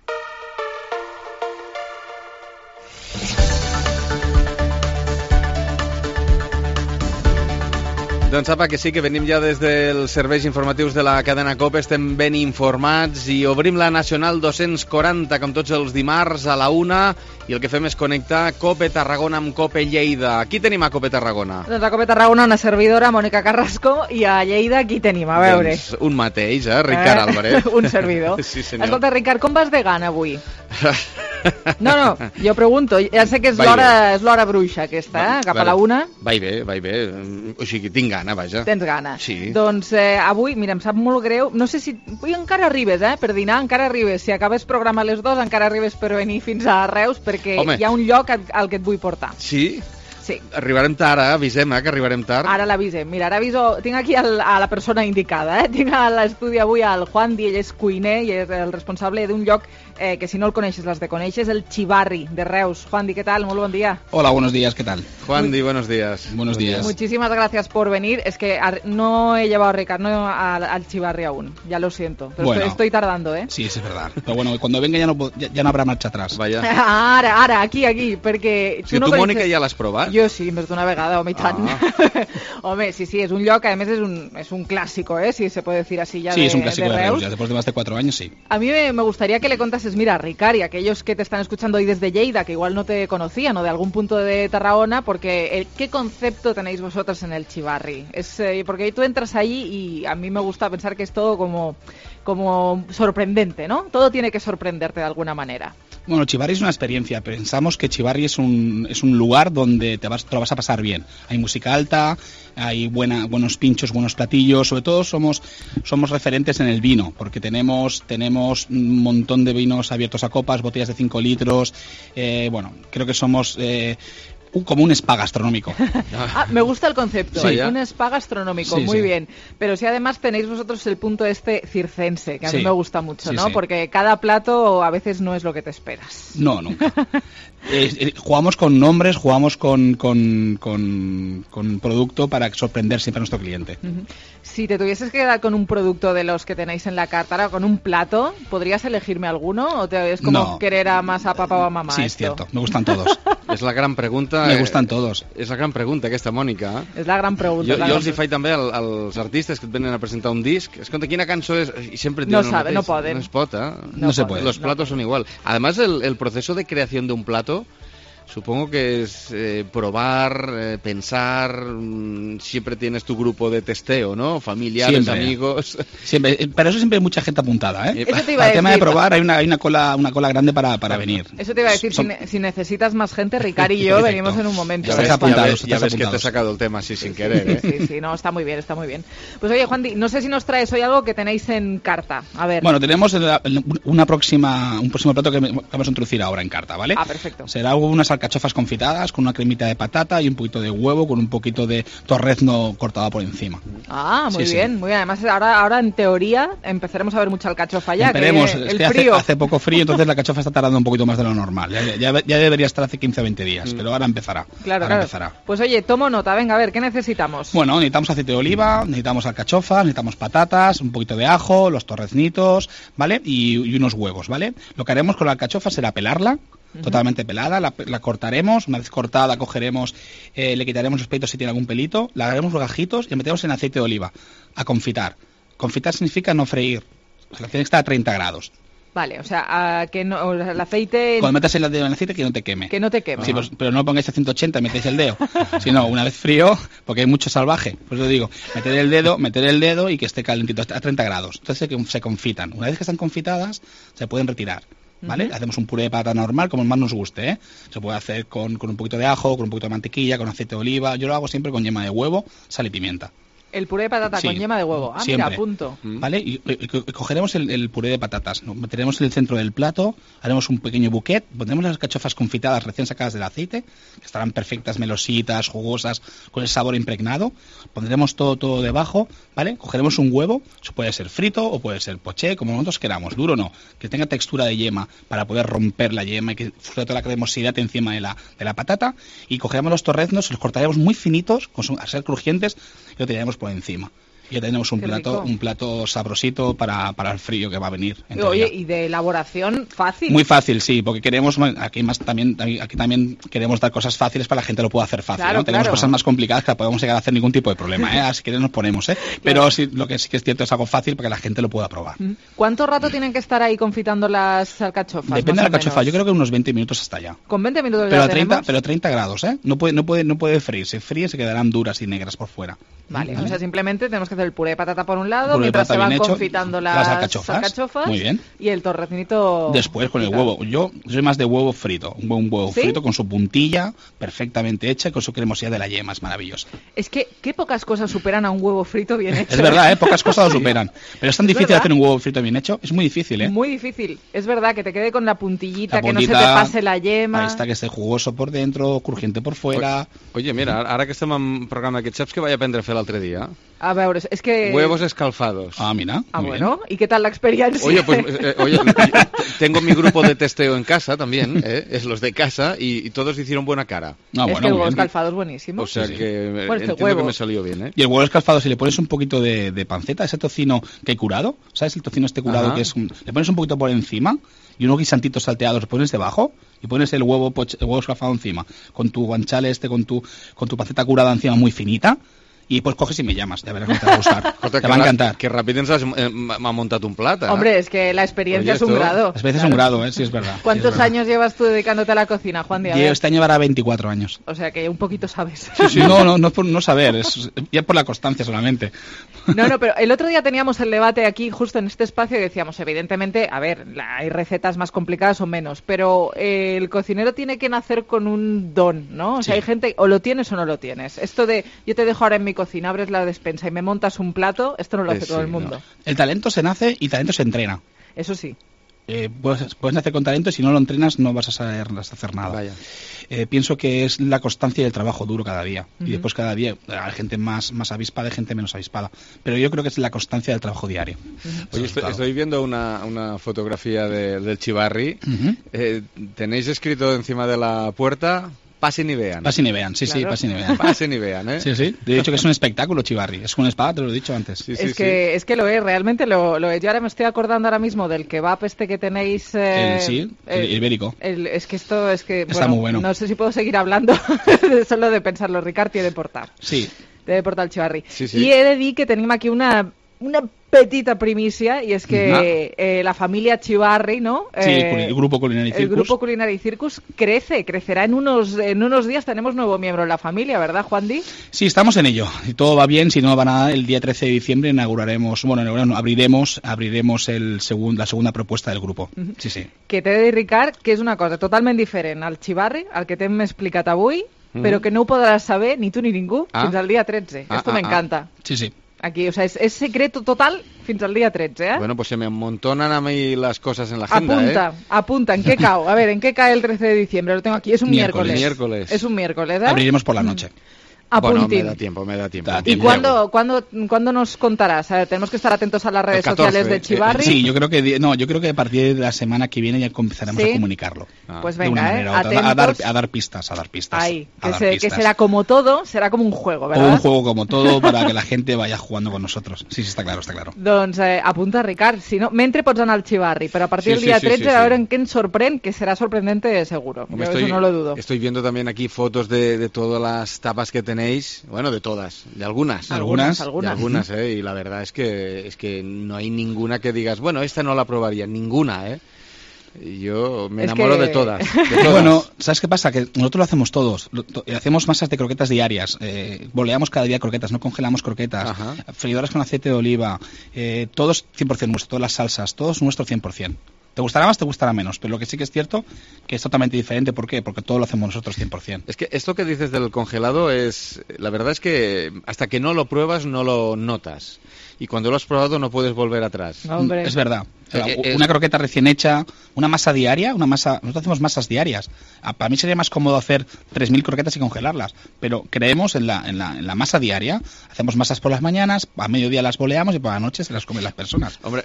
Doncs sapa que sí, que venim ja des dels serveis informatius de la cadena COPE, estem ben informats i obrim la Nacional 240 com tots els dimarts a la 1 i el que fem és connectar COPE Tarragona amb COPE Lleida. Qui tenim a COPE Tarragona? Doncs a COPE Tarragona una servidora, Mònica Carrasco, i a Lleida qui tenim? A veure. Doncs un mateix, Ricard Álvarez. Un servidor. Sí, senyor. Escolta, Ricard, com vas de gana avui? No, jo pregunto, ja sé que és l'hora bruixa aquesta, cap a la 1. Vaig bé, o sigui, tinc gana, vaja. Tens gana. Sí. Doncs avui, mira, em sap molt greu, no sé si... Avui encara arribes, per dinar, encara arribes. Si acabes programa a les 2, encara arribes per venir fins a Reus, perquè hi ha un lloc al que et vull portar. Sí? Sí. Arribarem tard, avisem, que arribarem tard. Ara l'avisem. Mira, ara aviso... Tinc aquí a la persona indicada, Tinc a l'estudi avui al Juan Di, ell és cuiner i és el responsable d'un lloc que si no el coneixes l'has de conèixer, és el Chivarri de Reus. Juan Di, ¿qué tal? Muy buen día. Hola, buenos días, ¿qué tal? Juan Di, buenos días. Buenos días. Muchísimas gracias por venir. Es que no he llevado a Ricardo al Chivarri aún, ya lo siento. Pero bueno, estoy tardando, Sí, es verdad. Pero bueno, cuando venga ya no habrá marcha atrás. Vaya. Ara, aquí, perquè... Si tu, Mònica, ja l'has provat? Jo sí, més d'una vegada, home, i tant. Home, sí, és un lloc, a més és un clásico, si se puede decir así ya sí, de Reus. Sí, es un clásico de Reus, ya después de más de 4 años, sí. A mí me gustaría que le contases, mira, Ricard, y aquellos que te están escuchando hoy desde Lleida, que igual no te conocían, o de algún punto de Tarragona, porque ¿qué concepto tenéis vosotros en el Chivarri? Porque tú entras allí y a mí me gusta pensar que es todo como sorprendente, ¿no? Todo tiene que sorprenderte de alguna manera. Bueno, Chivarri es una experiencia. Pensamos que Chivarri es un lugar donde te lo vas a pasar bien. Hay música alta, hay buenos pinchos, buenos platillos. Sobre todo somos referentes en el vino, porque tenemos un montón de vinos abiertos a copas, botellas de 5 litros. Creo que somos... como un spa gastronómico. Me gusta el concepto, sí, un spa gastronómico, sí, muy sí. Bien. Pero si además tenéis vosotros el punto circense, que a mí me gusta mucho, ¿no? Sí. Porque cada plato a veces no es lo que te esperas. No, nunca. Jugamos con nombres, jugamos con producto para sorprender siempre a nuestro cliente. Uh-huh. Si te tuvieses que quedar con un producto de los que tenéis en la carta, ahora con un plato, ¿podrías elegirme alguno? ¿O es como querer más a papá o a mamá? Sí, es cierto, me gustan todos. És la gran pregunta. Me gustan todos. És la gran pregunta aquesta, Mònica. És la gran pregunta. Jo els hi faig també als artistes que et venen a presentar un disc. Escolta, quina cançó és? I sempre et diuen el mateix. No poden. No es pot, No se puede. Los platos son igual. Además, el proceso de creación de un plato Supongo que es probar, pensar, siempre tienes tu grupo de testeo, ¿no? Familiares, siempre. Amigos. Siempre, pero eso siempre hay mucha gente apuntada, ¿eh? Eso te iba para a el tema de decir. probar hay una cola grande para venir. Eso te iba a decir, si necesitas más gente, Ricard y yo venimos en un momento. Ya ves que te he sacado el tema así sin querer, ¿eh? Sí, no, está muy bien. Pues oye, Juan Di, no sé si nos traes hoy algo que tenéis en carta. A ver. Bueno, tenemos un próximo plato que vamos a introducir ahora en carta, ¿vale? Ah, perfecto. Será unas alcachofas confitadas con una cremita de patata y un poquito de huevo con un poquito de torrezno cortado por encima. Ah, muy bien, muy bien. Además, ahora en teoría empezaremos a ver mucha alcachofa ya. Esperemos, que es que frío. hace poco frío, entonces la alcachofa está tardando un poquito más de lo normal. Ya debería estar hace 15 o 20 días, pero ahora empezará. Claro. Empezará. Pues oye, tomo nota, venga, a ver, ¿qué necesitamos? Bueno, necesitamos aceite de oliva, necesitamos alcachofas, necesitamos patatas, un poquito de ajo, los torreznitos, ¿vale? Y unos huevos, ¿vale? Lo que haremos con la alcachofa será pelarla, totalmente pelada, la cortaremos, una vez cortada cogeremos, le quitaremos los pelitos si tiene algún pelito, la haremos rodajitos y la metemos en aceite de oliva a confitar. Confitar significa no freír, o sea, tiene que estar a 30 grados. Vale, o sea, que no, el aceite... Cuando metas el dedo en el aceite, que no te queme. Que no te queme. Sí, pues, pero no lo pongáis a 180 y metéis el dedo. Si no, una vez frío, porque hay mucho salvaje. Pues yo digo, meter el dedo y que esté calentito, a 30 grados. Entonces se confitan. Una vez que están confitadas, se pueden retirar. ¿Vale? Hacemos un puré de patata normal, como más nos guste, ¿eh? Se puede hacer con un poquito de ajo, con un poquito de mantequilla, con aceite de oliva. Yo lo hago siempre con yema de huevo, sal y pimienta. El puré de patata con yema de huevo. Ah, siempre. Mira, apunto. ¿Vale? Y cogeremos el puré de patatas, lo meteremos en el centro del plato, haremos un pequeño bouquet, pondremos las cachofas confitadas recién sacadas del aceite, que estarán perfectas, melositas, jugosas, con el sabor impregnado. Pondremos todo debajo, ¿vale? Cogeremos un huevo, eso puede ser frito o puede ser poché, como nosotros queramos, duro no, que tenga textura de yema para poder romper la yema y que sobre todo la cremosidad encima de la patata. Y cogeremos los torreznos, los cortaremos muy finitos, a ser crujientes, y lo tiraremos por encima. Y ya tenemos un plato sabrosito para el frío que va a venir. Oye, y de elaboración fácil. Muy fácil, sí, porque queremos aquí también queremos dar cosas fáciles para que la gente lo pueda hacer fácil. Claro, ¿no? Tenemos cosas más complicadas que no podemos llegar a hacer ningún tipo de problema, ¿eh? Así que nos ponemos, ¿eh? Pero sí, lo que sí que es cierto es algo fácil para que la gente lo pueda probar. ¿Cuánto rato tienen que estar ahí confitando las alcachofas? Depende de la alcachofa, yo creo que unos 20 minutos hasta allá. Con 20 minutos pero 30 grados, ¿eh? No puede freír, se fríe se quedarán duras y negras por fuera. Vale, o sea, simplemente tenemos que hacer el puré de patata por un lado, mientras se van confitando las alcachofas. Muy bien. Y el torreznito... Después con el huevo. Yo soy más de huevo frito. Un huevo frito con su puntilla perfectamente hecha y con su cremosidad de la yema. Es maravillosa. Es que qué pocas cosas superan a un huevo frito bien hecho. Es verdad, pocas cosas lo superan. Pero es tan difícil hacer un huevo frito bien hecho. Es muy difícil, ¿eh? Muy difícil. Es verdad, que te quede con la puntillita, que no se te pase la yema. Ahí está, que esté jugoso por dentro, crujiente por fuera. Oye, mira, ara que estem en programa d'aquests, saps que vaig aprendre a fer l'altre dia? A veure, es que... Huevos escalfados. Ah, mira. Ah, bueno. ¿Y qué tal la experiencia? Oye, pues tengo mi grupo de testeo en casa también, es los de casa, y todos hicieron buena cara. Ah, bueno, es que el huevo escalfado es buenísimo. O sea que entiendo que me salió bien, ¿eh? Y el huevo escalfado, si le pones un poquito de panceta, ese tocino que hay curado, ¿sabes? El tocino este curado que es le pones un poquito por encima y unos guisantitos salteados, los pones debajo y pones el huevo escalfado encima, con tu guanciale con tu panceta curada encima muy finita. Y pues coges y me llamas, de verdad que te va a gustar. Te va a encantar. Que rápido m'ha montat un plat, ¿eh? Hombre, es que la experiencia es un grado. Las veces es un grado, sí, es verdad. ¿Cuántos años llevas tú dedicándote a la cocina, Juan Díaz? Yo este año llevará 24 años. O sea que un poquito sabes. Sí, no es por no saber, es ya por la constancia solamente. No, pero el otro día teníamos el debate aquí, justo en este espacio, y decíamos, evidentemente, a ver, hay recetas más complicadas o menos, pero el cocinero tiene que nacer con un don, ¿no? O sea, hay gente, o lo tienes o no lo tienes. Esto de, yo te dejo ahora en mi cocina, abres la despensa y me montas un plato, esto no lo hace todo el mundo. No. El talento se nace y talento se entrena. Eso sí. Puedes nacer con talento y si no lo entrenas no vas a saber hacer nada. Vaya. Pienso que es la constancia y el trabajo duro cada día. Y después cada día hay gente más avispada y gente menos avispada. Pero yo creo que es la constancia del trabajo diario. Oye, estoy viendo una fotografía del Chivarri. ¿Tenéis escrito encima de la puerta? Pasen y vean. Pasen y vean, sí, claro. Sí, pasen y vean. Pasen y vean, ¿eh? Sí. Te he dicho que es un espectáculo, Chivarri. Es una espada, te lo he dicho antes. Es que lo es, realmente lo es. Yo ahora me estoy acordando ahora mismo del kebab este que tenéis... el ibérico. Es que esto es que... Está muy bueno. No sé si puedo seguir hablando solo de pensarlo. Ricard tiene de portar. Sí. Debe portar el Chivarri. Sí. Y he de dir que tenim aquí una una petita primicia, y es que la familia Chivarri, ¿no? Sí, el Grupo Culinari Circus. El Grupo Culinari Circus crecerá en unos días. Tenemos nuevo miembro en la familia, ¿verdad, Juan Di? Sí, estamos en ello. Si todo va bien, si no va nada, el día 13 de diciembre abriremos la segunda propuesta del grupo. Sí, sí. Que t'he de dir, Ricard, que és una cosa totalment diferent al Chivarri, al que t'hem explicat avui, però que no ho podràs saber ni tu ni ningú fins al dia 13. Esto me encanta. Sí, sí. Aquí, o sea, es secreto total fins al día 13, ¿eh? Bueno, pues se me amontonan a mí las cosas en la agenda, Apunta, ¿en qué cae? A ver, ¿en qué cae el 13 de diciembre? Lo tengo aquí, es un miércoles. Es un miércoles, ¿eh? Abriremos por la noche. Apuntín. Bueno, me da tiempo. ¿Y cuándo nos contarás? A ver, tenemos que estar atentos a las redes sociales de Chivarri. Sí, yo creo que a partir de la semana que viene ya empezaremos a comunicarlo. Pues venga, atentos. a dar pistas. Ahí, que será como todo, será como un juego, ¿verdad? O un juego como todo para que la gente vaya jugando con nosotros. Sí, está claro. Doncs apunta, Ricard. Si no, mentre pots anar al Chivarri, pero a partir del día 13 a ver en qué ens sorprèn, que será sorprendente seguro. Eso no lo dudo. Estoy viendo también aquí fotos de todas las tapas que tenéis. Bueno, de todas, de algunas. Y la verdad es que no hay ninguna que digas, bueno, esta no la probaría, ninguna, Yo me enamoro de todas. Bueno, ¿sabes qué pasa? Que nosotros lo hacemos todos. Hacemos masas de croquetas diarias, boleamos cada día croquetas, no congelamos croquetas, freidoras con aceite de oliva, todos 100% nuestro, todas las salsas, todos nuestro 100%. Te gustará más, te gustará menos, pero lo que sí que es cierto que es totalmente diferente. ¿Por qué? Porque todo lo hacemos nosotros 100%. Es que esto que dices del congelado la verdad es que hasta que no lo pruebas no lo notas. Y cuando lo has probado no puedes volver atrás. Hombre. Es verdad. Una croqueta recién hecha, una masa diaria, nosotros hacemos masas diarias. Para mí sería más cómodo hacer 3.000 croquetas y congelarlas, pero creemos en la masa diaria. Hacemos masas por las mañanas, a mediodía las boleamos y por la noche se las comen las personas. Hombre,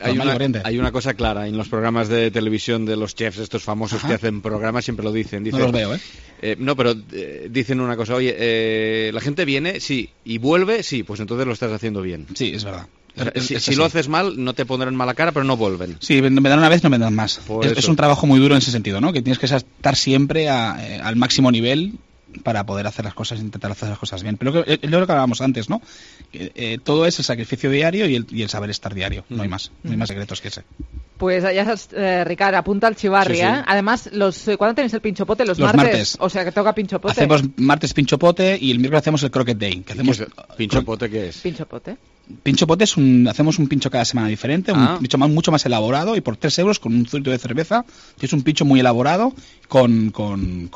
hay una cosa clara en los programas de televisión de los chefs, estos famosos que hacen programas, siempre lo dicen. No los veo, No, pero dicen una cosa, oye, la gente viene, sí, y vuelve, sí, pues entonces lo estás haciendo bien. Sí, es verdad. Si lo haces mal, no te pondrán mala cara, pero no vuelven. Sí, me dan una vez, no me dan más. Es un trabajo muy duro en ese sentido, ¿no? Que tienes que estar siempre al máximo nivel para poder hacer las cosas, intentar hacer las cosas bien. Pero es lo que hablábamos antes, ¿no? Todo es el sacrificio diario y el saber estar diario. No hay más secretos que ese. Pues ya sabes, Ricard, apunta al Chivarri, sí. Además, ¿cuándo tenéis el pinchopote? Los martes. O sea, que toca pinchopote. Hacemos martes pinchopote y el miércoles hacemos el croquet day. ¿Pinchopote qué es? Pinchopote hacemos un pincho cada semana diferente, un pincho mucho más elaborado, y por 3 euros con un zuito de cerveza. Es un pincho muy elaborado con un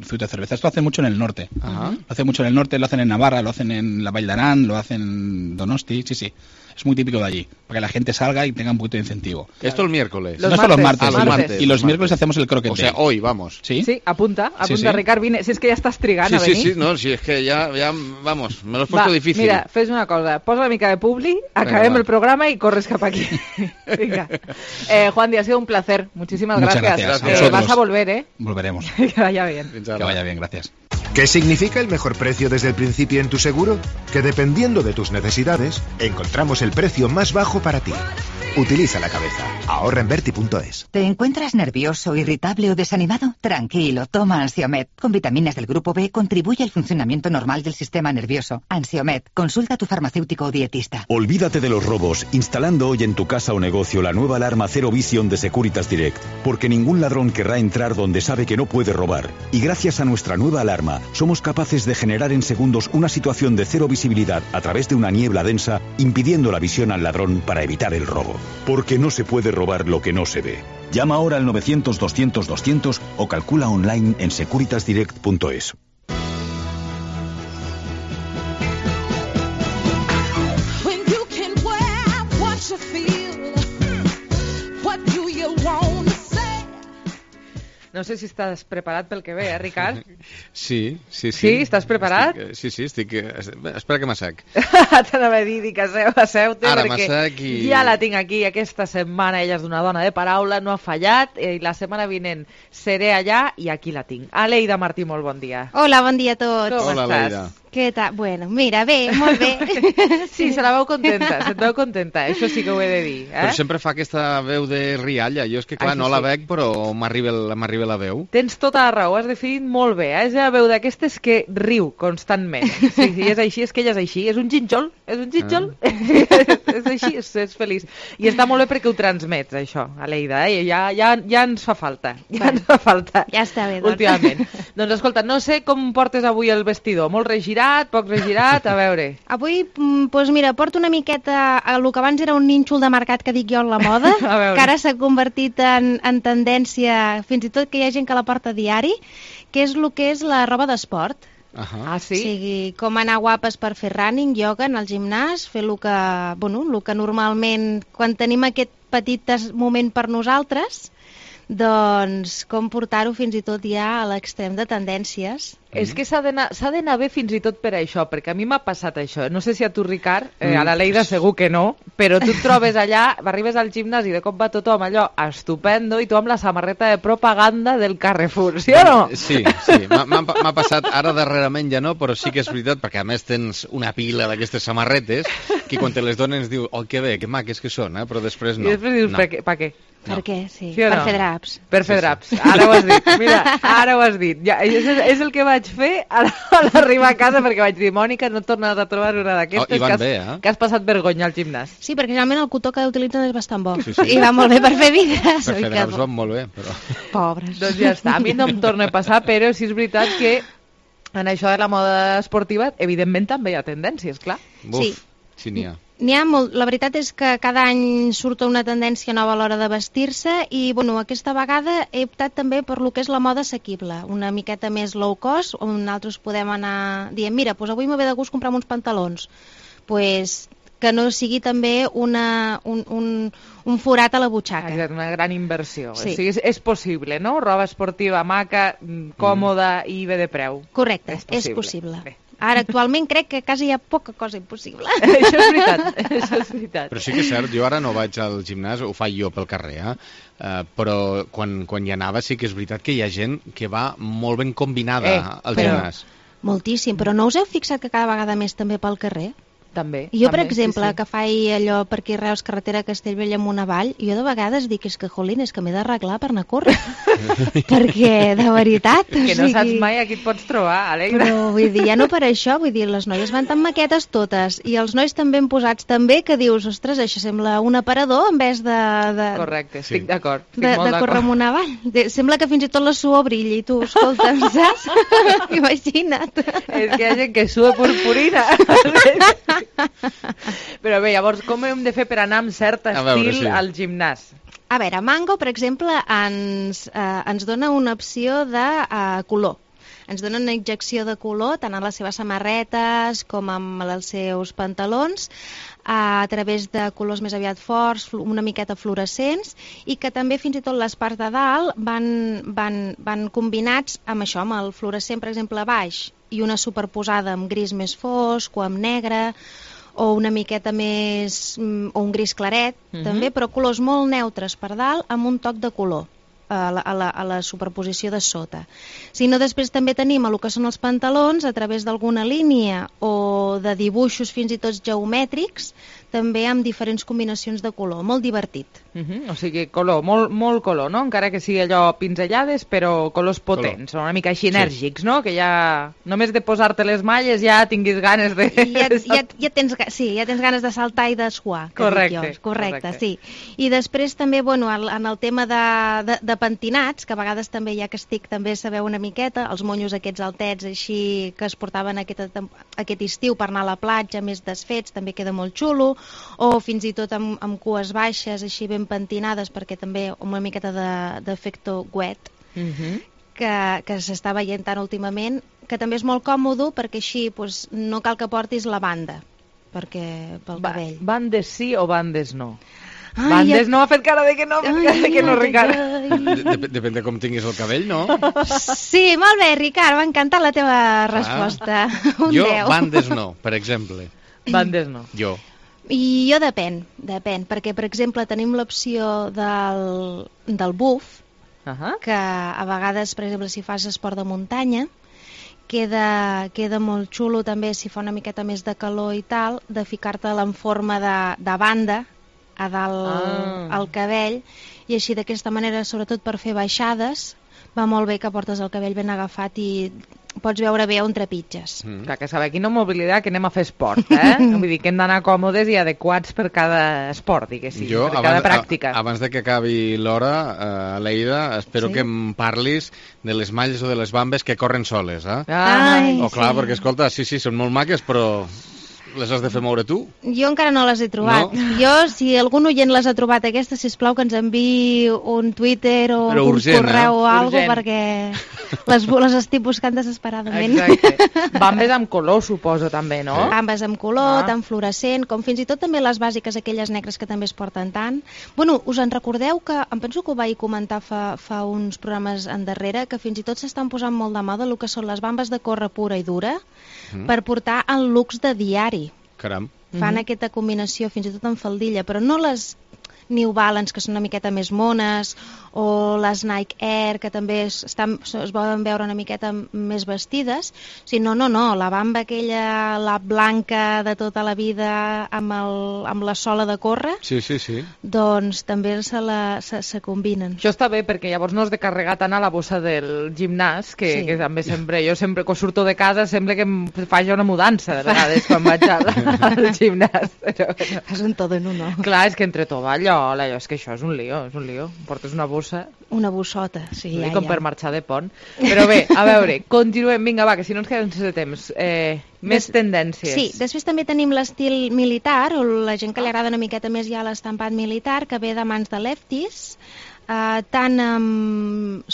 zuito de cerveza. Esto lo hacen mucho en el norte. Lo hacen mucho en el norte, lo hacen en Navarra, lo hacen en la Vall d'Aran, lo hacen en Donosti, sí. Es muy típico de allí, para que la gente salga y tenga un poquito de incentivo. Esto el miércoles. Los martes. Y los miércoles hacemos el croquet. O sea, hoy vamos. Sí, apunta, Ricard, viene. Si es que ya estás trigant a venir. Sí, es que ya vamos, me lo has puesto difícil. Mira, fes una cosa, posa una mica de publi, acabem el programa y corres cap aquí. Venga. Juan Di, ha sido un placer. Muchísimas gracias. Vas a volver, Volveremos. Que vaya bien. Que vaya bien, gracias. ¿Qué significa el mejor precio desde el principio en tu seguro? Que dependiendo de tus necesidades, encontramos el precio más bajo para ti. Utiliza la cabeza. Ahorra en Berti.es. ¿Te encuentras nervioso, irritable o desanimado? Tranquilo, toma Ansiomed. Con vitaminas del grupo B contribuye al funcionamiento normal del sistema nervioso. Ansiomed, consulta a tu farmacéutico o dietista. Olvídate de los robos, instalando hoy en tu casa o negocio la nueva alarma Zero Vision de Securitas Direct. Porque ningún ladrón querrá entrar donde sabe que no puede robar. Y gracias a nuestra nueva alarma, somos capaces de generar en segundos una situación de cero visibilidad a través de una niebla densa, impidiendo la visión al ladrón para evitar el robo. Porque no se puede robar lo que no se ve. Llama ahora al 900-200-200 o calcula online en securitasdirect.es. No sé si estàs preparat pel que ve, Ricard? Sí. Sí, estàs preparat? Estic... Espera que m'assec. T'anava a dir que asseu-te, Ara perquè m'assec i... ja la tinc aquí aquesta setmana. Ella és una dona de paraula, no ha fallat, i la setmana vinent seré allà i aquí la tinc. Aleida Martí, molt bon dia. Hola, bon dia a tots. Com Hola, estàs? Aleida. Què tal? Bueno, mira, bé, molt bé. Sí, se la veu contenta, se't veu contenta, això sí que ho he de dir. Però sempre fa aquesta veu de rialla. Jo és que, clar, no la veig, però m'arriba bé la veu. Tens tota la raó, has definit molt bé. És una veu d'aquestes que riu constantment. Sí, és així, és que ella és així. És un gínjol, és així, és feliç. I està molt bé perquè ho transmets, això, Aleida, ja ens fa falta. Ja està bé, doncs. Últimament. Doncs escolta, no sé com portes avui el vestidor. Molt regirat, poc regirat, a veure. Avui, doncs mira, porto una miqueta el que abans era un nínxol de mercat que dic jo en la moda, que ara s'ha convertit en tendència, fins i tot que hi ha gent que la porta a diari, que és el que és la roba d'esport. Ah, sí? O sigui, com anar guapes per fer running, ioga, anar al gimnàs, fer el que normalment, quan tenim aquest petit moment per nosaltres, doncs com portar-ho fins i tot ja a l'extrem de tendències. És que s'ha d'anar bé fins i tot per això, perquè a mi m'ha passat això. No sé si a tu, Ricard, a la Leida segur que no, però tu et trobes allà, arribes al gimnàs i de cop va tothom allò estupendo i tu amb la samarreta de propaganda del Carrefour, sí o no? Sí, m'ha passat ara darrerament ja no, però sí que és veritat, perquè a més tens una pila d'aquestes samarretes que quan te les donen es diu, oh, que bé, que maques que són, però després no. I després dius, per què? Per què? Sí, sí per fer draps. Per fer draps. Ara ho has dit. Mira, ara ho has dit. Ja, és el que vaig fer a l'arribar a casa, perquè vaig dir, Mònica, no et tornes a trobar una d'aquestes que has passat vergonya al gimnàs. Sí, perquè realment el cotó que utilitzen és bastant bo. Sí. I va molt bé per fer vides. Per fer draps van molt bé, però... Pobres. Doncs ja està. A mi no em torna a passar, però sí és veritat que en això de la moda esportiva, evidentment també hi ha tendències, clar. Buf, sí n'hi ha. N'hi ha molt. La veritat és que cada any surt una tendència nova a l'hora de vestir-se i, bueno, aquesta vegada he optat també per lo que és la moda assequible, una miqueta més low cost, on nosaltres podem anar dient, mira, doncs avui m'ho ve de gust comprar uns pantalons. Doncs que no sigui també un forat a la butxaca. Exacte, una gran inversió. Sí. O sigui, és possible, no? Roba esportiva, maca, còmoda i bé de preu. Correcte, és possible. Bé. Ara, actualment, crec que quasi hi ha poca cosa impossible. Això és veritat. Però sí que és cert, jo ara no vaig al gimnàs, ho faig jo pel carrer, però quan hi anava sí que és veritat que hi ha gent que va molt ben combinada al gimnàs. Moltíssim, però no us heu fixat que cada vegada més també pel carrer? També. Jo, per exemple, que faig allò per aquí Reus, carretera Castellbell amunt avall, jo de vegades dic, és que, jolín, és que m'he d'arreglar per anar a córrer. Perquè, de veritat... Que no saps mai a qui et pots trobar, Alegra. Però, vull dir, ja no per això, vull dir, les noies van tan maquetes totes, i els nois tan ben posats també, que dius, ostres, això sembla un aparador en vez de... Correcte, estic d'acord. De córrer amunt avall. Sembla que fins i tot la suor brilli, i tu, escolta'm, saps? Imagina't. És que hi ha gent que sua purpurina. Però bé, llavors, com hem de fer per anar amb cert estil al gimnàs? A veure, Mango, per exemple, ens dona una opció de color. Ens dona una injecció de color tant en les seves samarretes com en els seus pantalons, a través de colors més aviat forts, una miqueta fluorescents, i que també fins i tot les parts de dalt van combinats amb això, amb el fluorescent, per exemple, a baix, i una superposada amb gris més fosc o amb negre, o una miqueta més... o un gris claret, també, però colors molt neutres per dalt amb un toc de color a la superposició de sota. Si no, després també tenim el que són els pantalons a través d'alguna línia o de dibuixos fins i tot geomètrics, també amb diferents combinacions de color, molt divertit. O sigui, color, molt color, no? Encara que sigui allò pinzellades, però colors potents, una mica així enèrgics, no? Que ja, només de posar-te les malles ja tinguis ganes de... Ja tens ganes de saltar i de suar. Correcte, sí. I després també, bueno, en el tema de pentinats, que a vegades també, ja que estic també a saber una miqueta, els monyos aquests altets així que es portaven aquest estiu per anar a la platja, més desfets, també queda molt xulo, o fins i tot amb cues baixes així ben pentinades, perquè també una miqueta d'efecte wet, que s'està veient tant últimament, que també és molt còmode perquè així no cal que portis la banda pel cabell. Bandes sí o bandes no? Bandes no, ha fet cara de que no, Ricard. Depèn de com tinguis el cabell, no? Sí, molt bé, Ricard, m'ha encantat la teva resposta. Jo, bandes no, per exemple. Bandes no. Jo. I jo depèn, perquè, per exemple, tenim l'opció del buff, que a vegades, per exemple, si fas esport de muntanya, queda molt xulo també, si fa una miqueta més de calor i tal, de ficar-te-la en forma de banda a dalt al cabell, i així d'aquesta manera, sobretot per fer baixades, va molt bé que portes el cabell ben agafat i pots veure bé on trepitges. Clar, que saber quina mobilitat, que anem a fer esport, Vull dir que hem d'anar còmodes i adequats per cada esport, diguéssim, per cada pràctica. Abans de que acabi l'hora, Leida, espero que em parlis de les malles o de les bambes que corren soles, clar, perquè, escolta, sí, són molt maques, però les has de fer moure tu? Jo encara no les he trobat. No? Jo, si algun oient les ha trobat aquestes, sisplau que ens enviï un Twitter o un correu o alguna cosa, perquè les estic buscant desesperadament. Exacte. Bambes amb color, suposo, també, no? Bambes amb color, tant fluorescent, com fins i tot també les bàsiques, aquelles negres que també es porten tant. Bueno, us en recordeu que, em penso que ho vaig comentar fa uns programes endarrere, que fins i tot s'estan posant molt de moda el que són les bambes de córrer pura i dura, per portar en looks de diari. Caram. Fan aquesta combinació fins i tot en faldilla, però no les New Balance, que són una miqueta més mones, o les Nike Air, que també es poden veure una miqueta més vestides, sinó la bamba aquella, la blanca de tota la vida, amb la sola de córrer, doncs també se combinen. Això està bé, perquè llavors no has de carregar tant a la bossa del gimnàs, que també jo sempre que surto de casa sembla que em faci una mudança, de vegades, quan vaig al gimnàs. És un tot en uno. Clar, és que entre tovallola, és que això és un lío. Portes una bossa... Una bossota, sí, ja. Com per marxar de pont. Però bé, a veure, continuem. Vinga, va, que si no ens quedem sense temps. Més tendències. Sí, després també tenim l'estil militar, o la gent que li agrada una miqueta més ja l'estampat militar, que ve de mans de Lefties, tant amb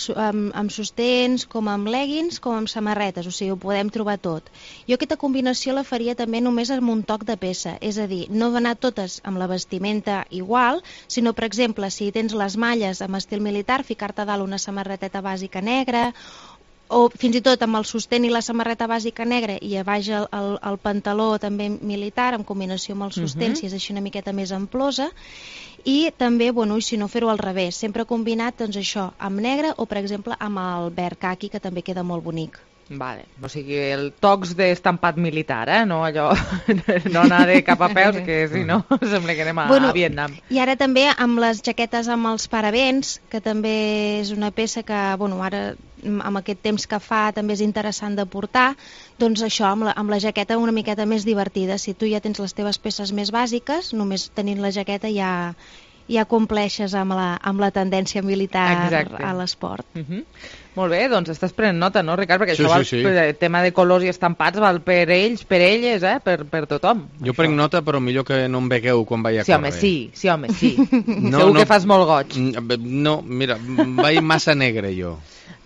sostens com amb leggings com amb samarretes, o sigui, ho podem trobar tot. Jo aquesta combinació la faria també només amb un toc de peça, és a dir, no anar totes amb la vestimenta igual, sinó, per exemple, si tens les malles amb estil militar, ficar-te a dalt una samarreteta bàsica negra, o fins i tot amb el sostén i la samarreta bàsica negra i a baix el pantaló també militar, en combinació amb el sostén, si és així una miqueta més amplosa, i també, i si no fer-ho al revés, sempre combinat, doncs això, amb negre o, per exemple, amb el verd caqui, que també queda molt bonic. Vale, o sigui, el tocs d'estampat militar, no allò, no anar de cap a peus, que si no sembla que anem a Vietnam. I ara també amb les jaquetes amb els paravents, que també és una peça que, ara amb aquest temps que fa també és interessant de portar, doncs això, amb la jaqueta una miqueta més divertida. Si tu ja tens les teves peces més bàsiques, només tenint la jaqueta ja compleixes amb la tendència militar a l'esport. Molt bé, doncs estàs prenent nota, no, Ricard? Perquè això el tema de colors i estampats val per ells, per elles, per tothom. Jo prenc nota, però millor que no em vegueu quan vaig a córrer. Sí, home, sí. Segur que fas molt goig. No, mira, vaig massa negre, jo.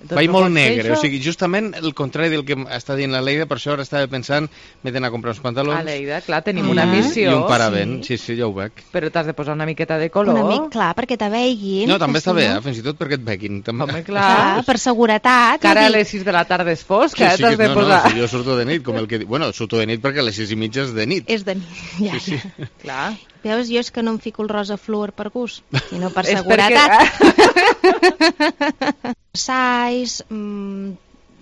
Vaig molt negre, o sigui, justament el contrari del que està dient la Leida, per això ara estava pensant, m'he d'anar a comprar uns pantalons. A Leida, clar, tenim una missió. I un paravent, sí, ja ho veig. Però t'has de posar una miqueta de color. Clar, perquè te veguin. No, també està bé, fins i tot perquè et veguin. Home, clar. Per seguretat. Que ara a les 6 de la tarda és fosc, t'has de posar. Jo surto de nit, com el que... Bueno, surto de nit perquè a les 6:30 és de nit. És de nit, ja. Sí. Clar. Veus, jo és que no em fico el rosa fluor per gust, sinó per seguretat. Size,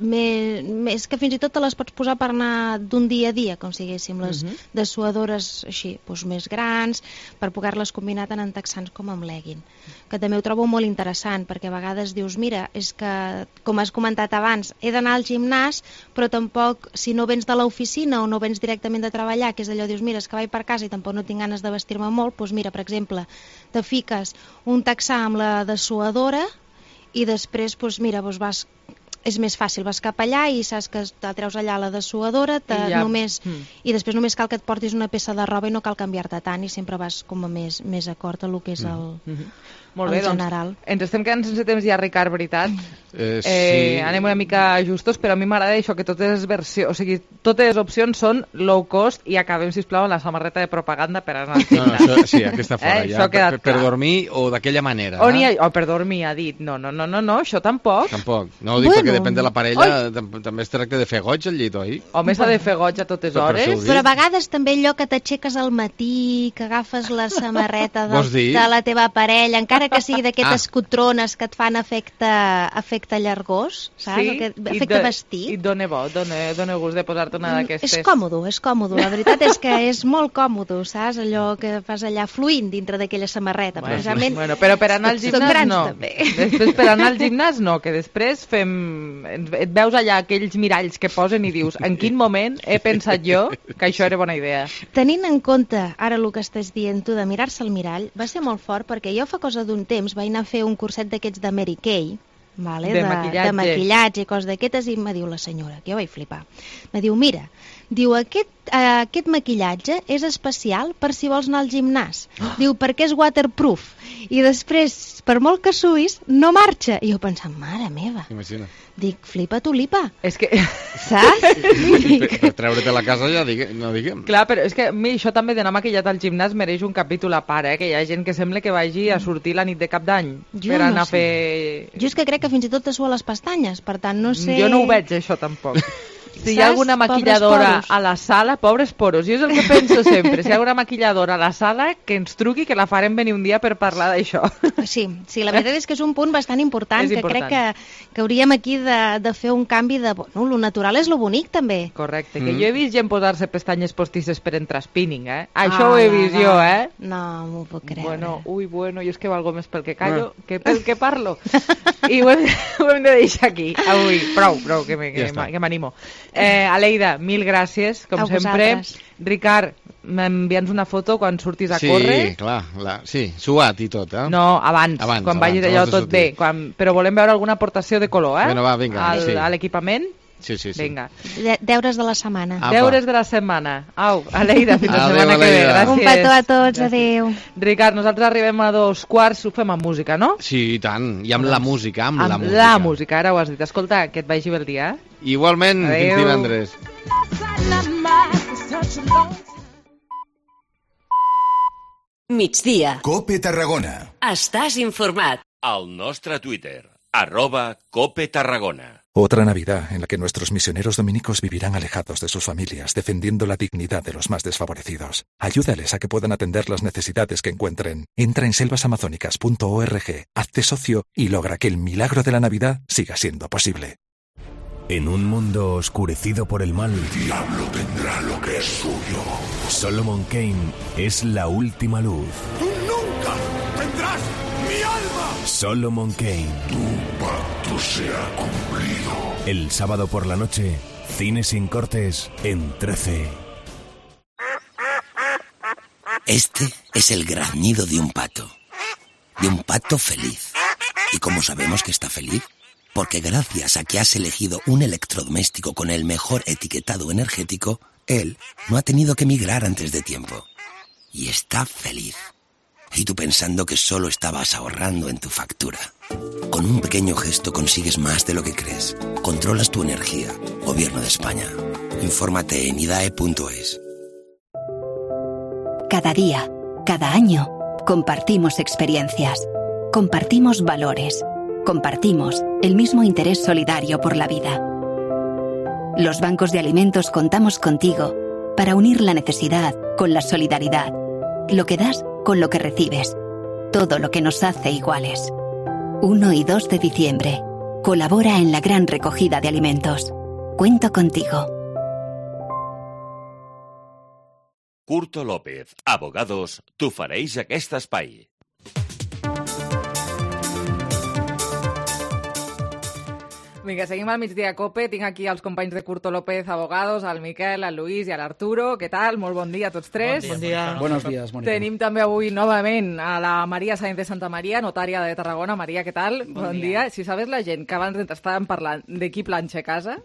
més que fins i tot te les pots posar per anar d'un dia a dia, com si haguéssim les dessuadores així, doncs més grans, per poder-les combinar tant en texans com amb legging, que també ho trobo molt interessant, perquè a vegades dius, mira, és que, com has comentat abans, he d'anar al gimnàs, però tampoc, si no vens de l'oficina o no vens directament de treballar, que és allò, dius, mira, és que vaig per casa i tampoc no tinc ganes de vestir-me molt, doncs mira, per exemple, te fiques un texà amb la dessuadora i després, doncs mira, vas... És més fàcil, vas cap allà i saps que te treus allà la dessuadora i després només cal que et portis una peça de roba i no cal canviar-te tant i sempre vas com a més acord a el que és el general. Doncs ens estem quedant sense temps ja, Ricard, veritat? Sí. Anem una mica justos, però a mi m'agrada això, que totes les opcions són low cost i acabem, sisplau, amb la samarreta de propaganda per anar al gimnàs. No, sí, aquesta fora, ja. Per dormir o d'aquella manera. Per dormir, ha dit. No, això tampoc. Tampoc. No ho dic perquè depèn de la parella, també es tracta de fer goig al llit, oi? Home, s'ha de fer goig a totes hores. Però a vegades també allò que t'aixeques al matí, que agafes la samarreta de la teva parella, encara encara que sigui d'aquestes cotrones que et fan efecte llargós, saps? Sí, efecte vestit. I et dona bo, dona gust de posar-te una d'aquestes. És còmodo. La veritat és que és molt còmodo, saps? Allò que fas allà fluint dintre d'aquella samarreta. Bueno, però per anar al gimnàs no. Després per anar al gimnàs no, que després et veus allà aquells miralls que posen i dius, en quin moment he pensat jo que això era bona idea. Tenint en compte ara el que estàs dient tu de mirar-se al mirall, va ser molt fort perquè jo fa cosa d'un temps vaig anar a fer un curset d'aquests de Mary Kay, vale? de maquillatge i coses d'aquestes, i em diu la senyora, que jo vaig flipar, me diu, mira, aquest maquillatge és especial per si vols anar al gimnàs. Diu, perquè és waterproof. I després, per molt que suïs, no marxa. I jo pensant, mare meva. Imagina. Dic, flipa tu lipa. És que... Saps? Per treure't a la casa ja no diguem. Clar, però és que a mi això també d'anar maquillat al gimnàs mereix un capítol a part, que hi ha gent que sembla que vagi a sortir la nit de cap d'any per anar a fer... Jo és que crec que fins i tot te sua les pestanyes, per tant, no sé... Jo no ho veig, això, tampoc. Si hi ha alguna maquilladora a la sala, pobres poros, jo és el que penso sempre, si hi ha alguna maquilladora a la sala, que ens truqui, que la farem venir un dia per parlar d'això. Sí, la veritat és que és un punt bastant important, que crec que hauríem aquí de fer un canvi de... Bueno, lo natural és lo bonic, també. Correcte, que jo he vist gent posar-se pestanyes postisses per entrar spinning, Això ho he vist jo, No, m'ho puc creure. Bueno, jo és que valgo més pel que callo que pel que parlo. I ho hem de deixar aquí, avui. Prou, que m'animo. Aleida, mil gràcies, com sempre. Ricard, m'envia'ns una foto quan surtis a córrer. Sí, clar, suat i tot, No, abans quan vagis allò tot bé. Però volem veure alguna aportació de color, Bueno, va, vinga. A l'equipament. Sí. Vinga. Deures de la setmana. Deures de la setmana. Au, Aleida, fins la setmana que ve. Gràcies. Un petó a tots, adéu. Ricard, nosaltres arribem a 2:15, ho fem amb música, no? Sí, i tant. I amb la música, amb la música, ara ho has dit. Escolta, que et vagi bé el dia. Igualment, fins divendres. Migdia. COPE Tarragona. Estàs informat. Al nostre Twitter, @COPE Tarragona. Otra Navidad en la que nuestros misioneros dominicos vivirán alejados de sus familias, defendiendo la dignidad de los más desfavorecidos. Ayúdales a que puedan atender las necesidades que encuentren. Entra en selvasamazónicas.org, hazte socio y logra que el milagro de la Navidad siga siendo posible. En un mundo oscurecido por el mal, el diablo tendrá lo que es suyo. Solomon Kane es la última luz. ¡Tú nunca tendrás mi alma! Solomon Kane. Tu pacto se ha cumplido. El sábado por la noche, cine sin cortes en 13. Este es el graznido de un pato. De un pato feliz. ¿Y cómo sabemos que está feliz? Porque gracias a que has elegido un electrodoméstico con el mejor etiquetado energético, él no ha tenido que migrar antes de tiempo. Y está feliz. Y tú pensando que solo estabas ahorrando en tu factura. Con un pequeño gesto consigues más de lo que crees. Controlas tu energía. Gobierno de España. Infórmate en idae.es. Cada día, cada año, compartimos experiencias. Compartimos valores. Compartimos el mismo interés solidario por la vida. Los bancos de alimentos contamos contigo para unir la necesidad con la solidaridad, lo que das con lo que recibes, todo lo que nos hace iguales. 1 y 2 de diciembre. Colabora en la gran recogida de alimentos. Cuento contigo. Curto López, abogados, t'ofereix aquest espai. Vinga, seguim al migdia COPE. Tinc aquí els companys de Curto López, abogados, al Miquel, al Luis i a l'Arturo. Què tal? Molt bon dia a tots tres. Bon dia. Buenos días, Mónica. Tenim també avui novament a la Maria Sáenz de Santa Maria, notària de Tarragona. Maria, què tal? Bon dia. Si sabés la gent que abans estàvem parlant de qui planxa a casa,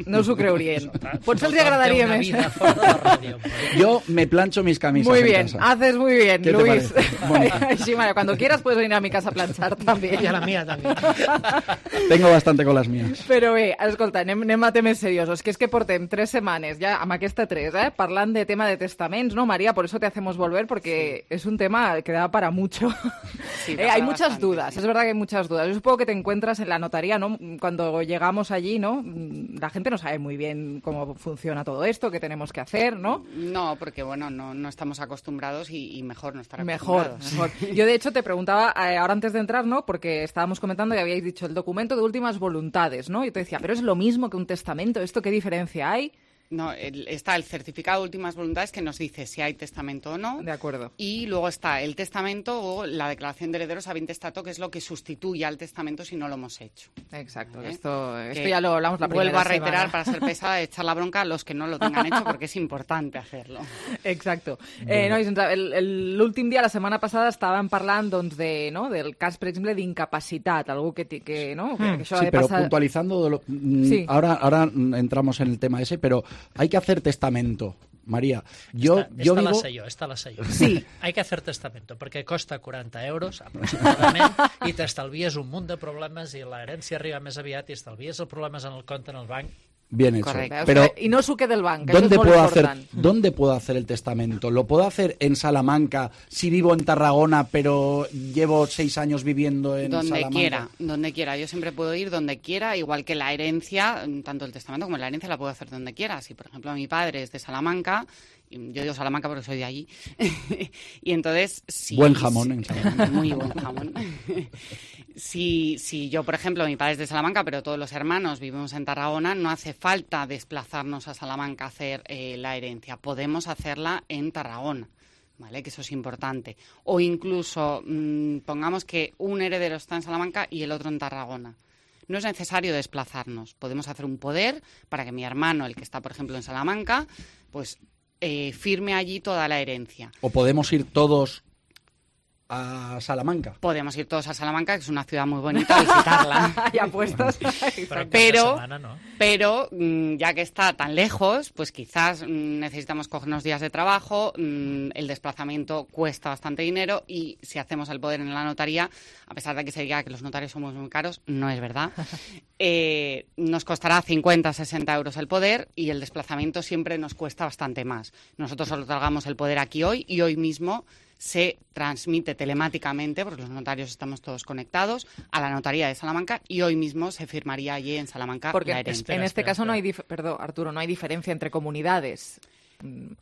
no us ho creurien. Potser els agradaria més. Yo me plancho mis camisas. Muy bien, haces muy bien, Luis. Sí, Mario, cuando quieras puedes venir a mi casa a planchar también. Y a la mía también. Tengo bastante con las mías. Però bé, escolta, anem a temes seriosos, que és que portem 3 setmanes, ja amb aquesta 3, parlant de tema de testaments, ¿no, María? Por eso te hacemos volver, porque es un tema que da para mucho. Sí, hay muchas dudas, es verdad que hay muchas dudas. Yo supongo que te encuentras en la notaría, ¿no? Cuando llegamos allí, ¿no? La gente no sabe muy bien cómo funciona todo esto, qué tenemos que hacer, ¿no? No, porque bueno, no estamos acostumbrados y mejor no estar acostumbrados. Mejor. Yo, de hecho, te preguntaba, ahora antes de entrar, ¿no? Porque estábamos comentando y habíais dicho el documento de últimas voluntades, ¿no? Y te decía, pero es lo mismo que un testamento, ¿esto qué diferencia hay? No, está el certificado de últimas voluntades que nos dice si hay testamento o no. De acuerdo. Y luego está el testamento o la declaración de herederos a intestato, que es lo que sustituye al testamento si no lo hemos hecho. Exacto. Esto ya lo hablamos la primera semana. Vuelvo a reiterar, para ser pesada, echar la bronca a los que no lo tengan hecho, porque es importante hacerlo. Exacto. El últim dia, la setmana passada, estàvem parlant del cas, per exemple, d'incapacitat, algú que no? Que sí, pero puntualizando, sí. Ahora entramos en el tema ese, pero hay que hacer testamento. María, esta la sé jo. Sí. Hay que hacer testamento, perquè costa 40 euros aproximadament i t'estalvies un munt de problemes i l'herència arriba més aviat i estalvies els problemes en el compte en el banc. Bien hecho. Correcte. Pero y no suque del banco. ¿Dónde puedo hacer el testamento? ¿Lo puedo hacer en Salamanca si vivo en Tarragona, pero llevo 6 años viviendo en Salamanca? Donde quiera. Yo siempre puedo ir donde quiera, igual que la herencia, tanto el testamento como la herencia la puedo hacer donde quiera. Si, por ejemplo, mi padre es de Salamanca, yo digo Salamanca porque soy de allí, y entonces... Buen jamón en Salamanca. Muy buen jamón. Si yo, por ejemplo, mi padre es de Salamanca, pero todos los hermanos vivimos en Tarragona, no hace falta desplazarnos a Salamanca a hacer la herencia. Podemos hacerla en Tarragona, ¿vale? Que eso es importante. O incluso, pongamos que un heredero está en Salamanca y el otro en Tarragona. No es necesario desplazarnos. Podemos hacer un poder para que mi hermano, el que está, por ejemplo, en Salamanca, pues firme allí toda la herencia. ¿O podemos ir todos a Salamanca? Podemos ir todos a Salamanca, que es una ciudad muy bonita, a visitarla. Y apuestas. Pero ya que está tan lejos, pues quizás necesitamos coger unos días de trabajo, el desplazamiento cuesta bastante dinero y si hacemos el poder en la notaría, a pesar de que se diga que los notarios somos muy caros, no es verdad, nos costará 50, 60 euros el poder y el desplazamiento siempre nos cuesta bastante más. Nosotros solo tragamos el poder aquí hoy y hoy mismo se transmite telemáticamente, porque los notarios estamos todos conectados, a la notaría de Salamanca y hoy mismo se firmaría allí en Salamanca la herencia. En este caso no hay diferencia entre comunidades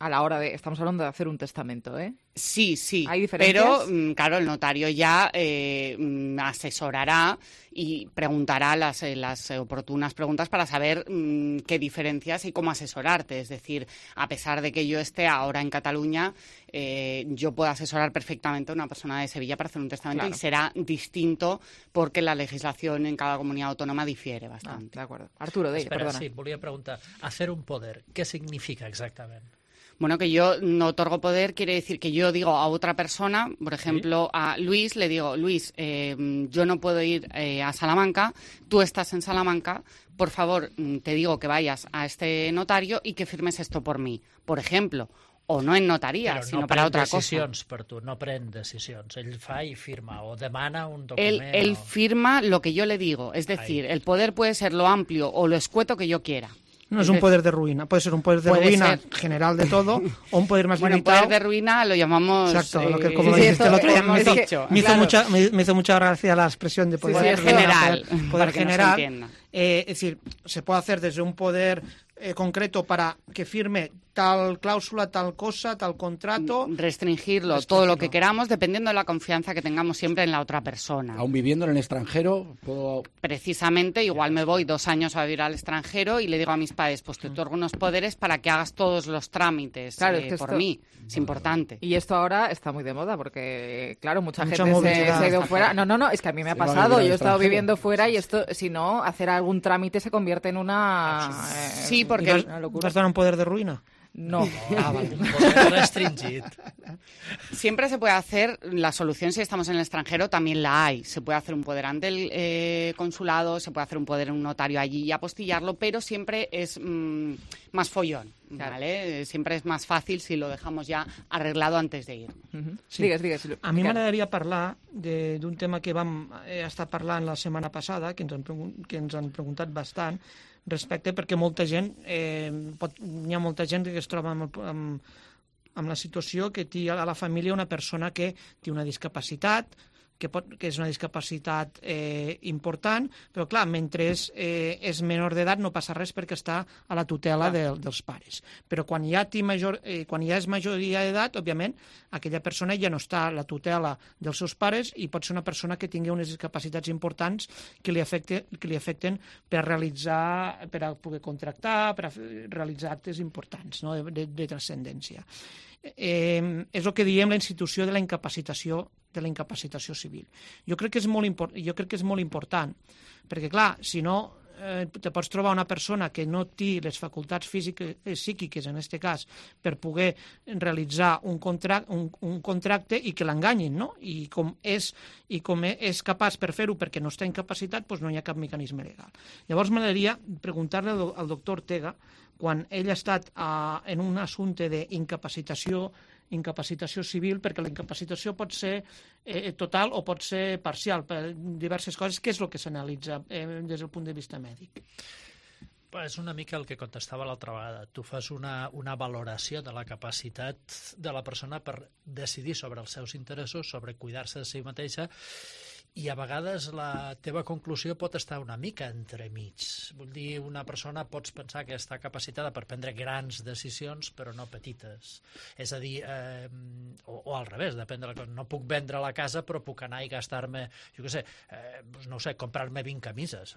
a la hora de... Estamos hablando de hacer un testamento, ¿eh? Sí, ¿Hay diferencias? Pero, claro, el notario ya asesorará y preguntará las oportunas preguntas para saber qué diferencias y cómo asesorarte. Es decir, a pesar de que yo esté ahora en Cataluña, yo puedo asesorar perfectamente a una persona de Sevilla para hacer un testamento, claro. Y será distinto porque la legislación en cada comunidad autónoma difiere bastante. De acuerdo. Arturo, perdona. Sí, volia preguntar, hacer un poder, ¿qué significa exactamente? Bueno, que yo no otorgo poder quiere decir que yo digo a otra persona, por ejemplo, a Luis, le digo, Luis, yo no puedo ir a Salamanca, tú estás en Salamanca, por favor, te digo que vayas a este notario y que firmes esto por mí, por ejemplo. O no en notaria, sino para otra cosa. Però no pren decisions per tu, no pren decisions. Ell fa i firma, o demana un document. Él firma lo que yo le digo, es decir, el poder puede ser lo amplio o lo escueto que yo quiera. No es un poder de ruina, puede ser un poder de ruina general de todo o un poder más limitado. Poder de ruina lo llamamos... Exacto, lo que como dijiste el otro día me hizo mucha gracia la expresión de poder general. Poder general. Es decir, se puede hacer desde un poder concreto para que firme tal cláusula, tal cosa, tal contrato. Restringirlo, todo lo que queramos, dependiendo de la confianza que tengamos siempre en la otra persona. Aún viviendo en el extranjero, puedo... Precisamente, igual me voy 2 años a vivir al extranjero y le digo a mis padres, pues te otorgo unos poderes para que hagas todos los trámites por mí. Es importante. Y esto ahora está muy de moda porque, claro, mucha gente se ha ido fuera. No, es que a mí me ha pasado. Yo he estado viviendo fuera y esto, si no, hacer algún trámite se convierte en una... sí, porque... ¿Te has dado un poder de ruina? No. Poder restringit. Siempre se puede hacer, la solución si estamos en el extranjero también la hay. Se puede hacer un poder ante el consulado, se puede hacer un poder en un notario allí y apostillarlo, pero siempre es más follón, ¿vale? Siempre es más fácil si lo dejamos ya arreglado antes de ir. Sí. Digues. A mi m'agradaria parlar d'un tema que vam estar parlant la setmana passada, que ens han preguntat bastant, respecte perquè molta gent, hi ha molta gent que es troba amb la situació que té a la família una persona que té una discapacitat, que és una discapacitat important, però clar, mentre és menor d'edat no passa res perquè està a la tutela dels pares. Però quan ja és majoria d'edat, òbviament, aquella persona ja no està a la tutela dels seus pares i pot ser una persona que tingui unes discapacitats importants que li afecten per poder contractar, per realitzar actes importants, no? de transcendència. És el que diem la institució de la incapacitació civil. Jo crec que és molt important, perquè clar, si no te pots trobar una persona que no té les facultats psíquiques, en aquest cas, per poder realitzar un contracte i que l'enganyin, no? I com és capaç per fer-ho perquè no està incapacitat, doncs no hi ha cap mecanisme legal. Llavors m'agradaria preguntar-li al doctor Ortega, quan ell ha estat en un assumpte d'incapacitació civil, perquè la incapacitació pot ser total o pot ser parcial per diverses coses. Què és el que s'analitza des del punt de vista mèdic? És una mica el que contestava l'altra vegada. Tu fas una valoració de la capacitat de la persona per decidir sobre els seus interessos, sobre cuidar-se de si mateixa, i a vegades la teva conclusió pot estar una mica entremig. Vull dir, una persona pots pensar que està capacitada per prendre grans decisions, però no petites. És a dir, o al revés, depèn de la cosa. No puc vendre la casa, però puc anar i gastar-me, jo què sé, no sé, comprar-me 20 camises.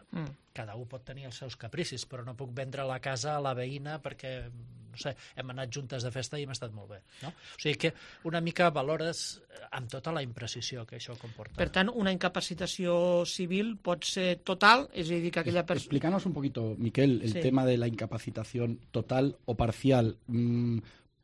Cada un pot tenir els seus capricis, però no puc vendre la casa a la veïna perquè, no sé, hem anat juntes de festa i hem estat molt bé. No? O sigui que una mica valores amb tota la imprecisió que això comporta. Per tant, una incapacitació civil pot ser total, és a dir, que aquella persona... Explícanos un poquito, Miquel, el tema de la incapacitación total o parcial.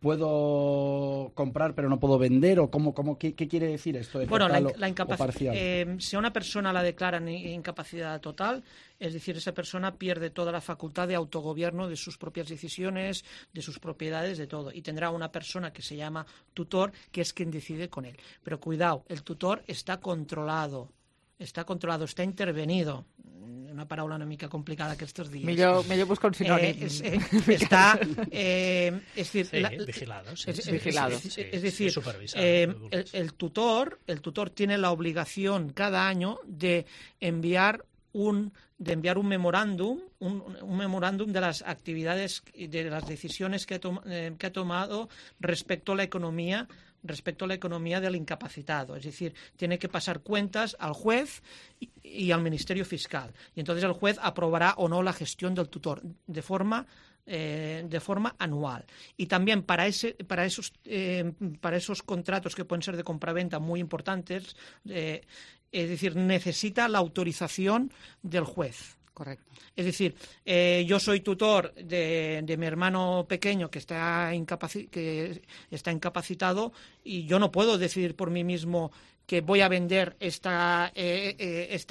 ¿Puedo comprar pero no puedo vender? ¿O qué quiere decir esto de total o parcial? Si a una persona la declaran incapacidad total, es decir, esa persona pierde toda la facultad de autogobierno de sus propias decisiones, de sus propiedades, de todo. Y tendrá una persona que se llama tutor, que es quien decide con él. Pero cuidado, el tutor está controlado, está intervenido. Una paraula una mica complicada aquests dies. Millor buscar un sinònim. Está vigilado. Vigilado. Es decir, el tutor tiene la obligación cada año de enviar un memorándum, un memorándum de las actividades y de las decisiones que ha tomado respecto a la economía del incapacitado. Es decir, tiene que pasar cuentas al juez y al Ministerio Fiscal. Y entonces el juez aprobará o no la gestión del tutor de forma anual. Y también para esos contratos que pueden ser de compraventa muy importantes, es decir, necesita la autorización del juez. Correcto. Es decir, yo soy tutor de mi hermano pequeño que está incapacitado y yo no puedo decidir por mí mismo que voy a vender esta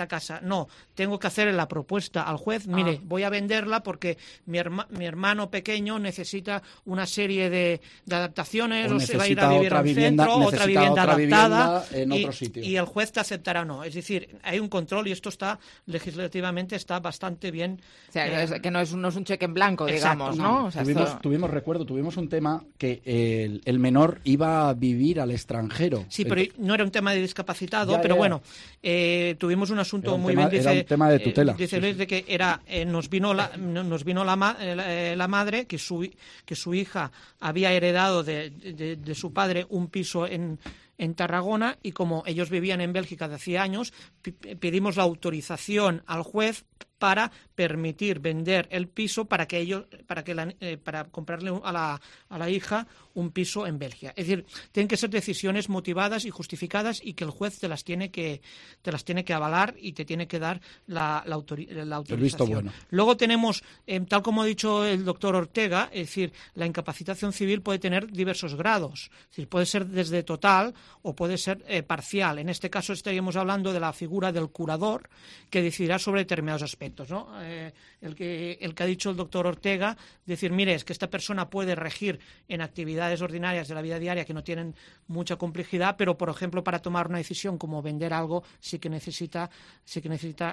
casa. No, tengo que hacer la propuesta al juez. Mire, voy a venderla porque mi hermano pequeño necesita una serie de adaptaciones, o se va a ir a vivir al centro, otra vivienda adaptada, en otro sitio. Y el juez te aceptará o no. Es decir, hay un control y esto legislativamente está bastante bien. O sea, que no es un cheque en blanco, digamos, ¿no? O sea, tuvimos un tema que el menor iba a vivir al extranjero. Sí, pero no era un tema de discapacitado, pero bueno, tuvimos un asunto muy bien. Era un tema de tutela. Dice Luis de que nos vino la madre que su hija había heredado de su padre un piso en Tarragona y como ellos vivían en Bélgica de hacía años, pedimos la autorización al juez para permitir vender el piso para comprarle a la hija un piso en Bélgica. Es decir, tienen que ser decisiones motivadas y justificadas y que el juez te las tiene que avalar y te tiene que dar la autorización. El visto bueno. Luego tenemos, tal como ha dicho el doctor Ortega, es decir, la incapacitación civil puede tener diversos grados. Es decir, puede ser desde total o puede ser parcial. En este caso estaríamos hablando de la figura del curador que decidirá sobre determinados aspectos, ¿no? El que ha dicho el doctor Ortega, decir, mire, es que esta persona puede regir en actividades ordinarias de la vida diaria que no tienen mucha complejidad, pero, por ejemplo, para tomar una decisión como vender algo, sí que necesita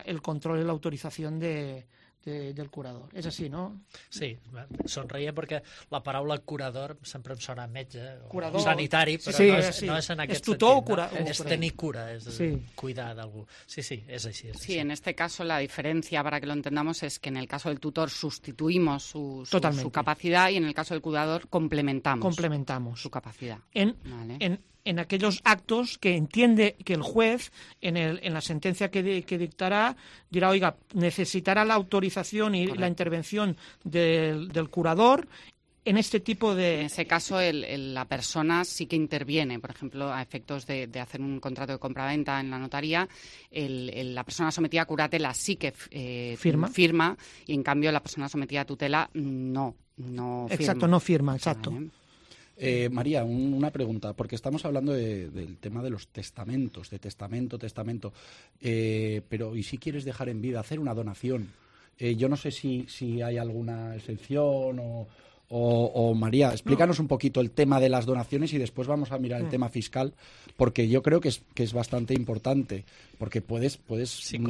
el control y la autorización del del curador. És així, no? Sí, sonreia perquè la paraula curador sempre em sona a metge o curador, sanitari, però sí, no és en aquest tutor sentit. O és tenir cura, és cuidar d'algú. Sí, es así. Sí, en este caso la diferencia, para que lo entendamos, es que en el caso del tutor sustituimos su capacidad y en el caso del cuidador complementamos su capacidad. En aquellos actos que entiende que el juez, en la sentencia que dictará, dirá, oiga, necesitará la autorización y la intervención del curador en este tipo de... En ese caso, la persona sí que interviene. Por ejemplo, a efectos de hacer un contrato de compraventa en la notaría, la persona sometida a curatela sí que firma y, en cambio, la persona sometida a tutela no firma. Exacto, no firma, exacto. Vale. María, una pregunta, porque estamos hablando del tema de los testamentos, de testamento, pero ¿y si quieres dejar en vida, hacer una donación? Yo no sé si hay alguna excepción o María, explícanos un poquito el tema de las donaciones y después vamos a mirar el tema fiscal, porque yo creo que es bastante importante, porque puedes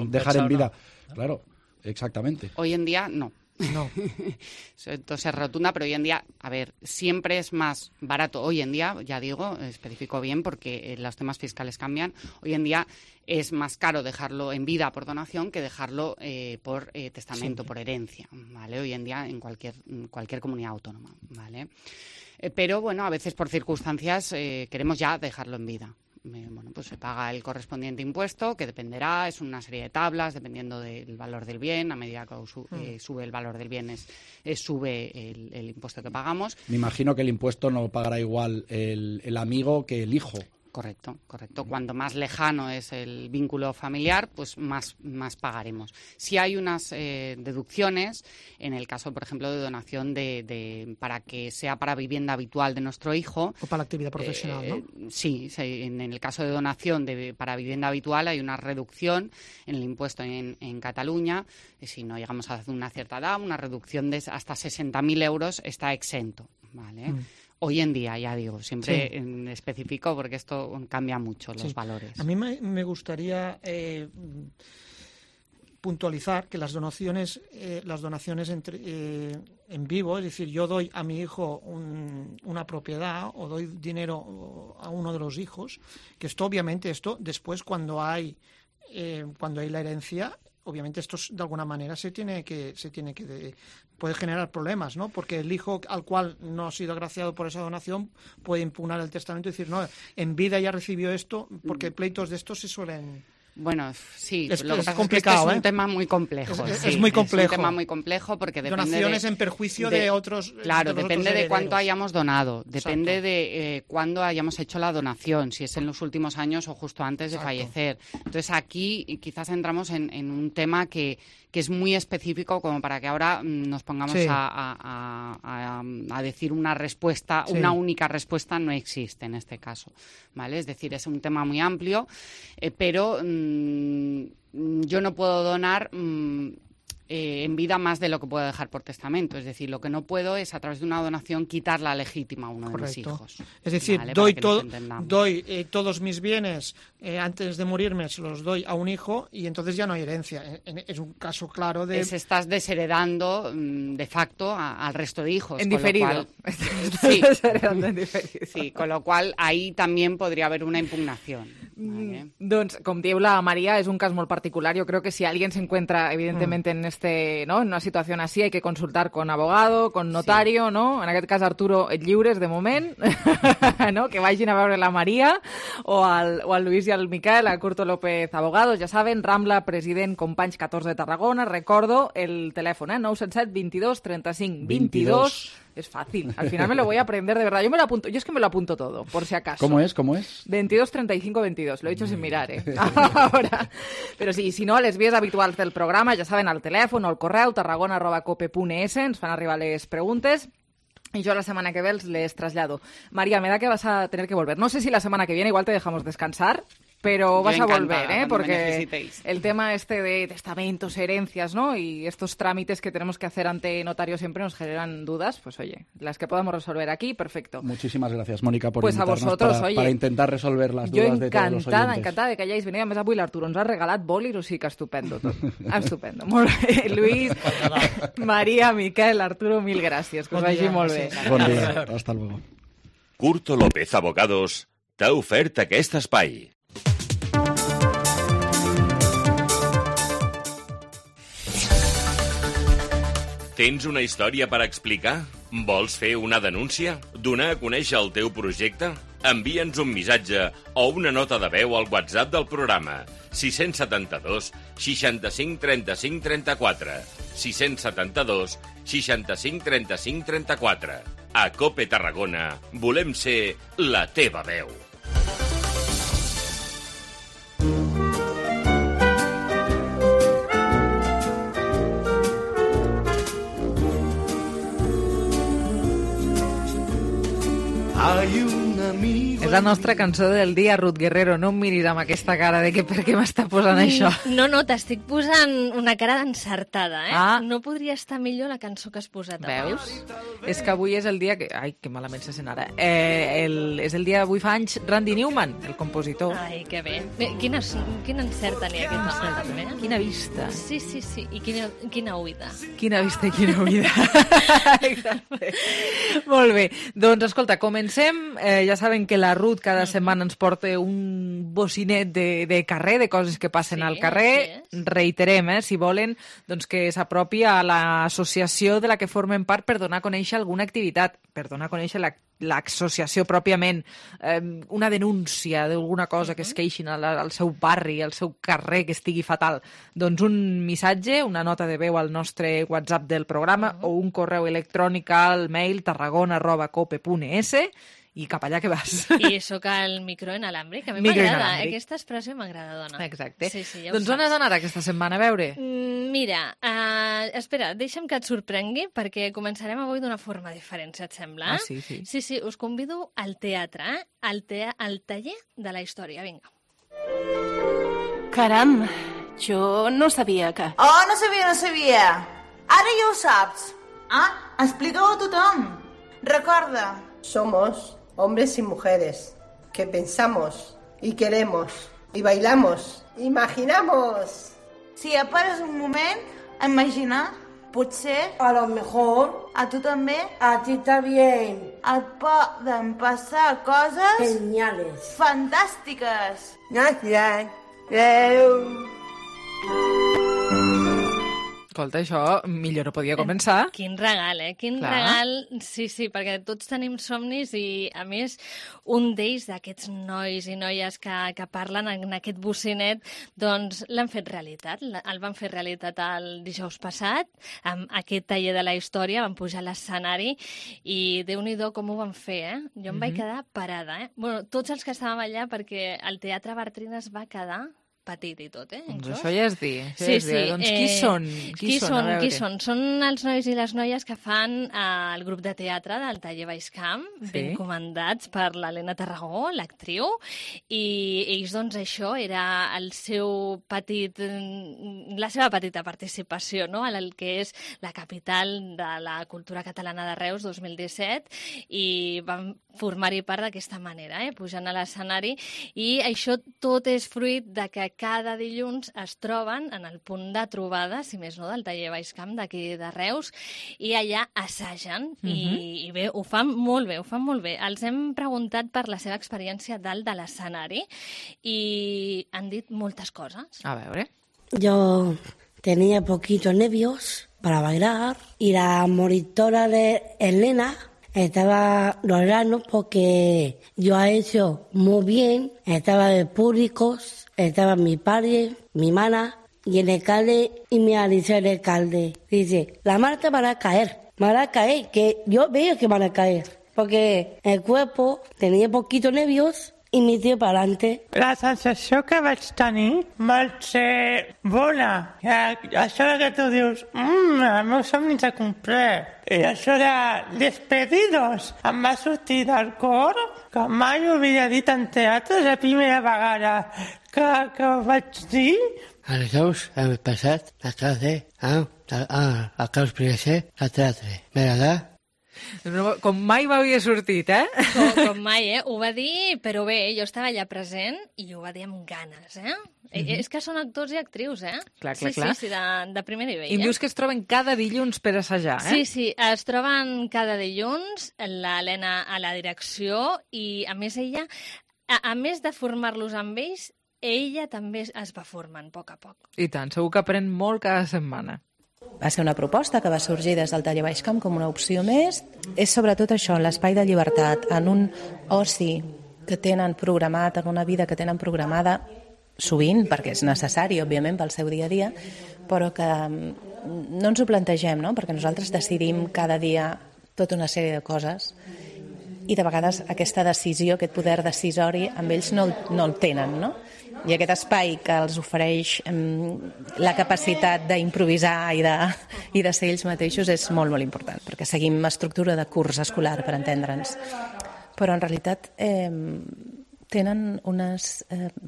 dejar en vida. ¿no? Claro, exactamente. Hoy en día no. Entonces es rotunda, pero hoy en día, a ver, siempre es más barato. Hoy en día, ya digo, especifico bien porque los temas fiscales cambian. Hoy en día es más caro dejarlo en vida por donación que dejarlo por testamento, por herencia, ¿vale? Hoy en día en cualquier comunidad autónoma, ¿vale? Pero bueno, a veces por circunstancias queremos ya dejarlo en vida. Bueno, pues se paga el correspondiente impuesto, que dependerá, es una serie de tablas, dependiendo del valor del bien. A medida que sube el valor del bien, sube el impuesto que pagamos. Me imagino que el impuesto no pagará igual el amigo que el hijo. Correcto. Cuanto más lejano es el vínculo familiar, pues más pagaremos. Si hay unas deducciones, en el caso, por ejemplo, de donación para que sea para vivienda habitual de nuestro hijo. O para la actividad profesional, ¿no? Sí, en el caso de donación para vivienda habitual hay una reducción en el impuesto en Cataluña. Si no llegamos a una cierta edad, una reducción de hasta 60.000 euros está exento, ¿vale? Hoy en día, ya digo, siempre especifico porque esto cambia mucho los valores. A mí me gustaría puntualizar que las donaciones en vivo, es decir, yo doy a mi hijo una propiedad o doy dinero a uno de los hijos, que obviamente después cuando hay la herencia, obviamente esto de alguna manera puede generar problemas, ¿no? Porque el hijo al cual no ha sido agraciado por esa donación puede impugnar el testamento y decir, no, en vida ya recibió esto, porque pleitos de estos se suelen... Bueno, sí, es lo que pasa complicado, es que es un tema muy complejo. Es muy complejo. Es un tema muy complejo porque depende donaciones en perjuicio de otros. Claro, depende de cuánto herederos. hayamos donado, depende de cuándo hayamos hecho la donación, si es en los últimos años o justo antes de fallecer. Entonces aquí quizás entramos en un tema que es muy específico como para que ahora nos pongamos a decir una respuesta, una única respuesta no existe en este caso, ¿vale? Es decir, es un tema muy amplio, pero yo no puedo donar en vida más de lo que puedo dejar por testamento. Es decir, lo que no puedo es, a través de una donación, quitar la legítima a uno de mis hijos. Es decir, ¿vale? doy todos mis bienes antes de morirme, se los doy a un hijo y entonces ya no hay herencia. Es un caso claro de... Estás desheredando de facto al resto de hijos. En diferido. Sí, con lo cual ahí también podría haber una impugnación. Vale. Doncs, com diu la María, es un cas molt particular. Yo creo que si alguien se encuentra, evidentemente, en una situación así, hay que consultar con abogado, con notario, ¿no? En aquest cas, Arturo, et lliures de moment, ¿no? Que vagin a veure la María o al Luis y al Miquel, a Curto López Abogados, ya saben, Rambla, president, Companys 14 de Tarragona. Recordo el teléfono, 977 22 35 22. Es fácil. Al final me lo voy a aprender de verdad. Yo es que me lo apunto todo, por si acaso. ¿Cómo es? 22 35 22. Lo he dicho sin mirar, Ahora. Pero sí, si no, a les vies habituals del programa, ja saben, al telèfon o al correu tarragona@cope.es, ens fan arribar les preguntes. Y yo la semana que ve les trasllado. María, me da que vas a tener que volver. No sé si la semana que viene igual te dejamos descansar. pero vas a volver, cuando me porque necesitéis. el tema este de testamentos, herencias, ¿no? Y estos trámites que tenemos que hacer ante notario siempre nos generan dudas, pues oye, las que podamos resolver aquí, perfecto. Muchísimas gracias, Mónica, por Pues a invitarnos vosotros, oye, para intentar resolver las dudas de todos los oyentes. Encantada de que hayáis venido. A més, avui l'Arturo ens ha regalat bòlir, o sigui que estupendo tot. Estupendo. Molt bé, Lluís, Maria, Miquel, Arturo, mil gràcies. Que us vagi molt bé. Bon dia, hasta luego. Curto López Abogados t'ha ofert aquest espai. Tens una història per explicar? Vols fer una denúncia? Donar a conèixer el teu projecte? Envia'ns un missatge o una nota de veu al WhatsApp del programa 672 65 35 34 672 65 35 34. A COPE Tarragona volem ser la teva veu. És la nostra cançó del dia, Ruth Guerrero. No em miris amb aquesta cara de que per què m'està posant això. No, t'estic posant una cara d'encertada, eh? Ah. No podria estar millor la cançó que has posat avui. Veus? És que avui és el dia que... Ai, que malament se sent ara. És el dia, avui fa anys, Randy Newman, el compositor. Ai, que bé. Quin encert tenia aquest home, també. Quina vista. Sí. I quina oïda. Quina vista i quina oïda. Exacte. Molt bé. Doncs, escolta, comencem. Ja saben que la Ruth cada setmana ens porta un bocinet de carrer, de coses que passen al carrer. Reiterem, si volen, doncs que s'apropi a l'associació de la que formen part per donar a conèixer alguna activitat, per donar a conèixer l'associació pròpiament, una denúncia d'alguna cosa que es queixin al seu barri, al seu carrer, que estigui fatal. Doncs un missatge, una nota de veu al nostre WhatsApp del programa o un correu electrònic al mail tarragona@cope.es i cap allà que vas. I sóc al micro inalàmbric, a mi m'agrada. Aquesta expressió m'agrada, dona. Exacte. Sí, ja doncs on has anat aquesta setmana, a veure? Mira, espera, deixa'm que et sorprengui, perquè començarem avui d'una forma diferent, si et sembla. Ah, sí? Sí, us convido al teatre, al taller de la història. Vinga. Caram, jo no sabia que... Oh, no sabia. Ara ja ho saps. Explica-ho a tothom. Recorda. Somos hombres y mujeres que pensamos y queremos y bailamos, imaginamos. Si ja pares un moment a imaginar, potser... A lo mejor... A tu també... A ti también. Et poden passar coses... Geniales. Fantàstiques. Gracias. Escolta, això millor no podia començar. Quin regal, Quin regal. Sí, perquè tots tenim somnis i, a més, un d'ells, d'aquests nois i noies que parlen en aquest bocinet, doncs l'han fet realitat. El van fer realitat el dijous passat, amb aquest taller de la història, van pujar a l'escenari i Déu-n'hi-do com ho van fer, Jo em vaig quedar parada, Bueno, tots els que estàvem allà, perquè el Teatre Bartrina es va quedar petit i tot, Doncs això ja és dir. Sí. Doncs qui són? Qui són? Són els nois i les noies que fan el grup de teatre del Taller Baixcamp, ben comandats per l'Helena Tarragó, l'actriu, i ells, doncs, això era la seva petita participació, en el que és la capital de la cultura catalana de Reus 2017, i van formar-hi part d'aquesta manera, pujant a l'escenari, i això tot és fruit de que cada dilluns es troben en el punt de trobada, si més no, del Taller Baixcamp d'aquí de Reus, i allà assagen, i bé, ho fan molt bé. Els hem preguntat per la seva experiència dalt de l'escenari i han dit moltes cosas. A veure. Yo tenía poquitos nervios para bailar y la monitora de Elena estaba llorando porque yo he hecho muy bien, estaba de públicos, estaba mi padre, mi mana y el alcalde, y me dice el alcalde, dice, la Marta van a caer, que yo veo que van a caer, porque el cuerpo tenía poquitos nervios i mi tio pa'lante. La sensació que vaig tenir va ser bona. Això que tu dius, el meu somni s'ha complert. I això de despedidos em va sortir del cor, que mai ho havia dit en teatre, la primera vegada que ho vaig dir. El dijous passat, a classe, a claus primer a teatre. ¿Verdad? Com mai m'havia sortit, Com mai, Ho va dir, però bé, jo estava allà present i ho va dir amb ganes, És que són actors i actrius, Clar. Sí, de primer nivell. I em dius que es troben cada dilluns per assajar, Sí, es troben cada dilluns, l'Helena a la direcció i, a més, ella, a més de formar-los amb ells, ella també es va formant a poc. I tant, segur que aprèn molt cada setmana. Va ser una proposta que va sorgir des del Taller Baixcamp com una opció més. És sobretot això, l'espai de llibertat, en un oci que tenen programat, en una vida que tenen programada, sovint, perquè és necessari, òbviament, pel seu dia a dia, però que no ens ho plantegem, no? Perquè nosaltres decidim cada dia tota una sèrie de coses i de vegades aquesta decisió, aquest poder decisori, amb ells no el tenen, no? I aquest espai que els ofereix la capacitat d'improvisar i de ser ells mateixos és molt, molt important, perquè seguim estructura de curs escolar, per entendre'ns. Però en realitat tenen unes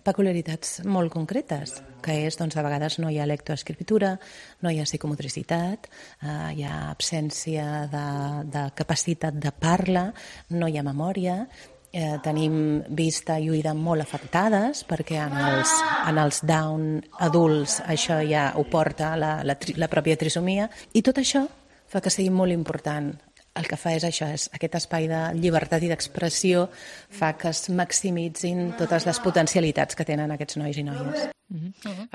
peculiaritats molt concretes, que és, doncs, de vegades no hi ha lectoescriptura, no hi ha psicomotricitat, hi ha absència de capacitat de parla, no hi ha memòria, tenim vista i oïda molt afectades perquè en els Down adults això ja ho porta la pròpia trisomia, i tot això fa que sigui molt important. El que fa és això, és aquest espai de llibertat i d'expressió fa que es maximitzin totes les potencialitats que tenen aquests nois i noies.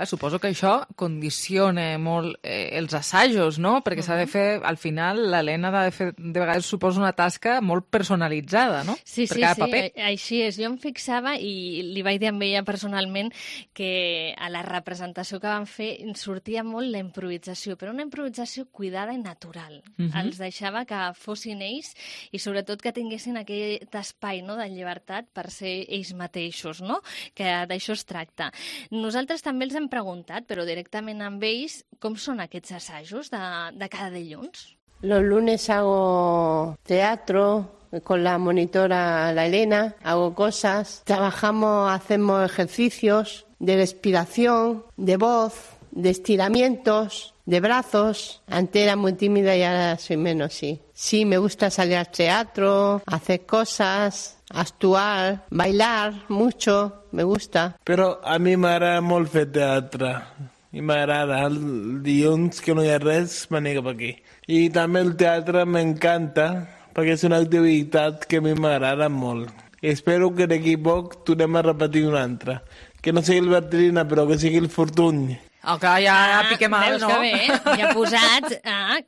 Suposo que això condiciona molt els assajos, no? Perquè s'ha de fer, al final, l'Helena ha de fer, de vegades suposa una tasca molt personalitzada, no? Sí, per cada paper. Així és. Jo em fixava i li vaig dir a ella personalment que a la representació que van fer sortia molt la improvisació, però una improvisació cuidada i natural. Els deixava que fossin ells i sobretot que tinguessin aquest espai, no?, de llibertat per ser ells mateixos, no? Que d'això es tracta. Nosaltres també els hem preguntat, però directament amb ells, com són aquests assajos de cada dilluns? Los lunes hago teatro con la monitora, la Elena, hago cosas, hacemos ejercicios de respiración, de voz, de estiramientos, de brazos. Antes era muy tímida y ahora soy menos, sí. Sí, me gusta salir al teatro, hacer cosas, actuar, bailar mucho, me gusta. Però a mi m'agrada molt fer teatre. I m'agrada. El dilluns que no hi ha res, me n'he cap aquí. I també el teatre m'encanta, perquè és una activitat que a mi m'agrada molt. I espero que d'aquí poc tornem a repetir una altra. Que no sigui el Bertrina, però que sigui el Fortuny. Clar, ja piquem mal, veus no? Que bé, ja posats,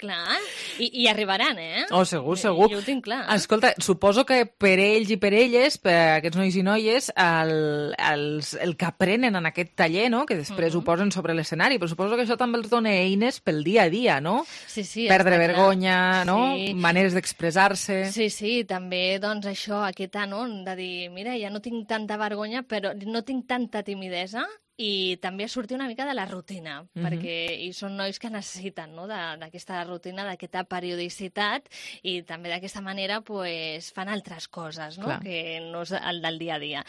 clar, i arribaran, segur. Jo ho tinc clar. Escolta, suposo que per ells i per elles, per aquests nois i noies, el que aprenen en aquest taller, no?, que després ho posen sobre l'escenari, però suposo que això també els dona eines pel dia a dia, no? Sí, perdre vergonya, no? Sí. Maneres d'expressar-se. Sí, també, doncs, això, aquest anon de dir, mira, ja no tinc tanta vergonya, però no tinc tanta timidesa, i també sortir una mica de la rutina, perquè són nois que necessiten, no?, d'aquesta rutina, d'aquesta periodicitat, i també d'aquesta manera pues, fan altres coses, no?, que no és el del dia a dia.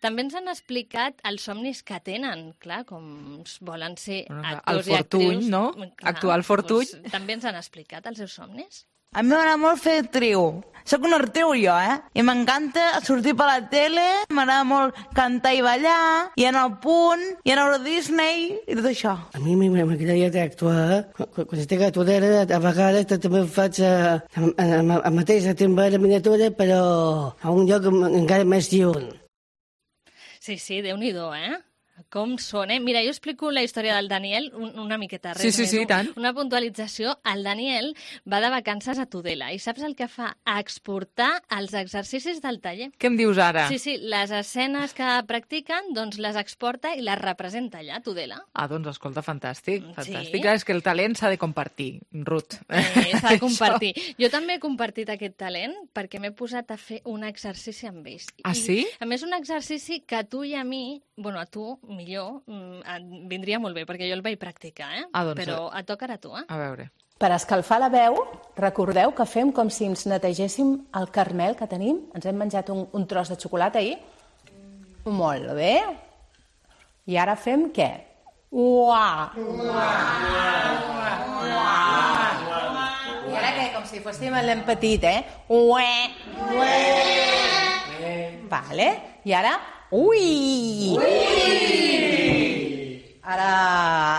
També ens han explicat els somnis que tenen, clar, com volen ser actors i actrius. El Fortuny, no? Actuar al Fortuny. Doncs, també ens han explicat els seus somnis. A mi m'agrada molt fer actriu. Soc una actriu jo, I m'encanta sortir per la tele, m'agrada molt cantar i ballar, i anar al Punt, i anar a Disney, i tot això. A mi m'agradaria actuar. Quan estic a Tudela, a vegades també faig el mateix timbre de miniatura, però a un lloc encara més lluny. Sí, Déu-n'hi-do, com són, eh? Mira, jo explico la història del Daniel una miqueta, res Sí, més. tant. Una puntualització. El Daniel va de vacances a Tudela i saps el que fa? Exportar els exercicis del taller. Què em dius ara? Sí, les escenes que practiquen, doncs les exporta i les representa allà, a Tudela. Ah, doncs escolta, fantàstic. Sí. Clar, és que el talent s'ha de compartir, Ruth. S'ha de compartir. Jo també he compartit aquest talent perquè m'he posat a fer un exercici amb ells. Ah, sí? A més, un exercici que a tu i a mi, bueno, a tu millor, et vindria molt bé, perquè jo el vaig practicar, doncs, però et toca ara a tu, A veure. Per escalfar la veu, recordeu que fem com si ens netegéssim el carmel que tenim. Ens hem menjat un tros de xocolata ahir. Molt bé. I ara fem què? Uà! I ara què? Com si fóssim el nen petit, Ué! Vale. I ara... Ui! Ara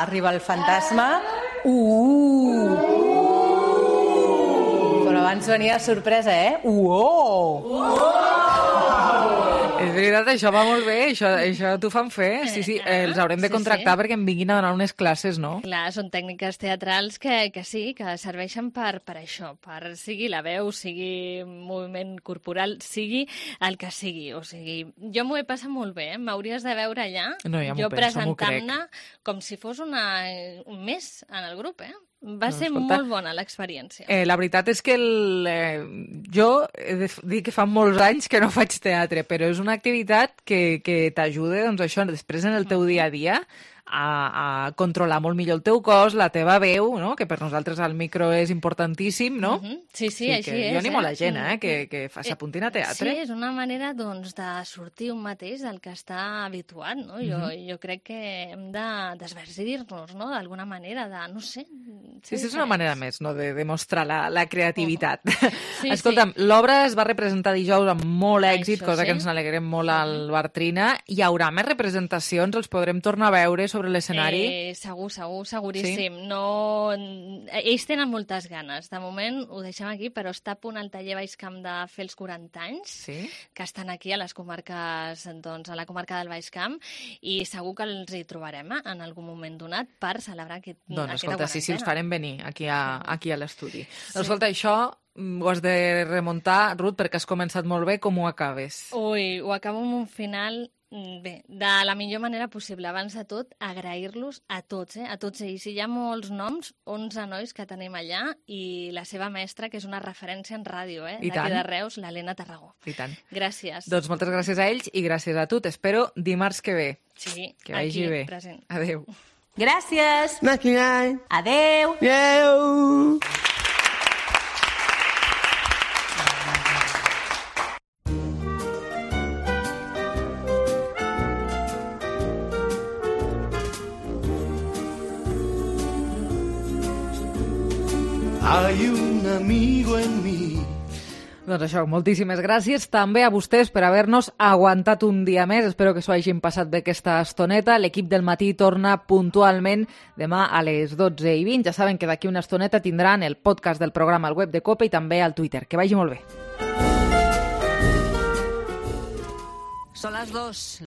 arriba el fantasma. Però abans venia sorpresa, És veritat, això va molt bé, això t'ho fan fer. Sí, els haurem de contractar perquè em vinguin a donar unes classes, no? Clar, són tècniques teatrals que sí, que serveixen per això, per sigui la veu, sigui moviment corporal, sigui el que sigui. O sigui, jo m'ho he passat molt bé, m'hauries de veure allà, No, ja m'ho jo penso, m'ho presentant-ne com si fos un mes en el grup, Va ser escolta, molt bona l'experiència. La veritat és que jo he de dir que fa molts anys que no faig teatre, però és una activitat que t'ajuda, doncs això, després en el teu dia a dia, a controlar molt millor el teu cos, la teva veu, no? Que per nosaltres el micro és importantíssim, no? Sí, així és. Jo animo la gent que s'apuntin a teatre. Sí, és una manera doncs, de sortir un mateix del que està habituat, no? Jo crec que hem de desvergir-nos, no? D'alguna manera, no sé... Sí, és una manera més, no?, de demostrar la creativitat. Sí, Escolta'm, l'obra es va representar dijous amb molt èxit, Això, cosa sí. que ens n'alegrem molt al Bartrina. Hi haurà més representacions? Els podrem tornar a veure sobre l'escenari? Seguríssim. Sí. No... Ells tenen moltes ganes. De moment ho deixem aquí, però està a punt el taller Baix Camp de fer els 40 anys, que estan aquí a les comarques, doncs, a la comarca del Baix Camp, i segur que els hi trobarem en algun moment donat per celebrar aquesta Escolta, sí, els farem venir aquí a l'estudi. Sí. Escolta, això ho has de remuntar, Ruth, perquè has començat molt bé. Com ho acabes? Ui, ho acabo amb un final... Bé, de la millor manera possible. Abans de tot, agrair-los a tots ells. Hi ha molts noms, 11 nois que tenim allà, i la seva mestra, que és una referència en ràdio, d'aquí de Reus, l'Helena Tarragó. I tant. Gràcies. Doncs moltes gràcies a ells i gràcies a tu. T'espero dimarts que ve. Sí, que vagi bé. Present. Adéu. Gràcies. Gràcies. Adéu. Adéu. Hay un amigo en mí. Doncs això, moltíssimes gràcies també a vostès per haver-nos aguantat un dia més. Espero que s'ho hagin passat bé aquesta estoneta. L'equip del matí torna puntualment demà a les 12:20. Ja saben que d'aquí una estoneta tindran el podcast del programa al web de COPE i també al Twitter. Que vagi molt bé. Són les 2.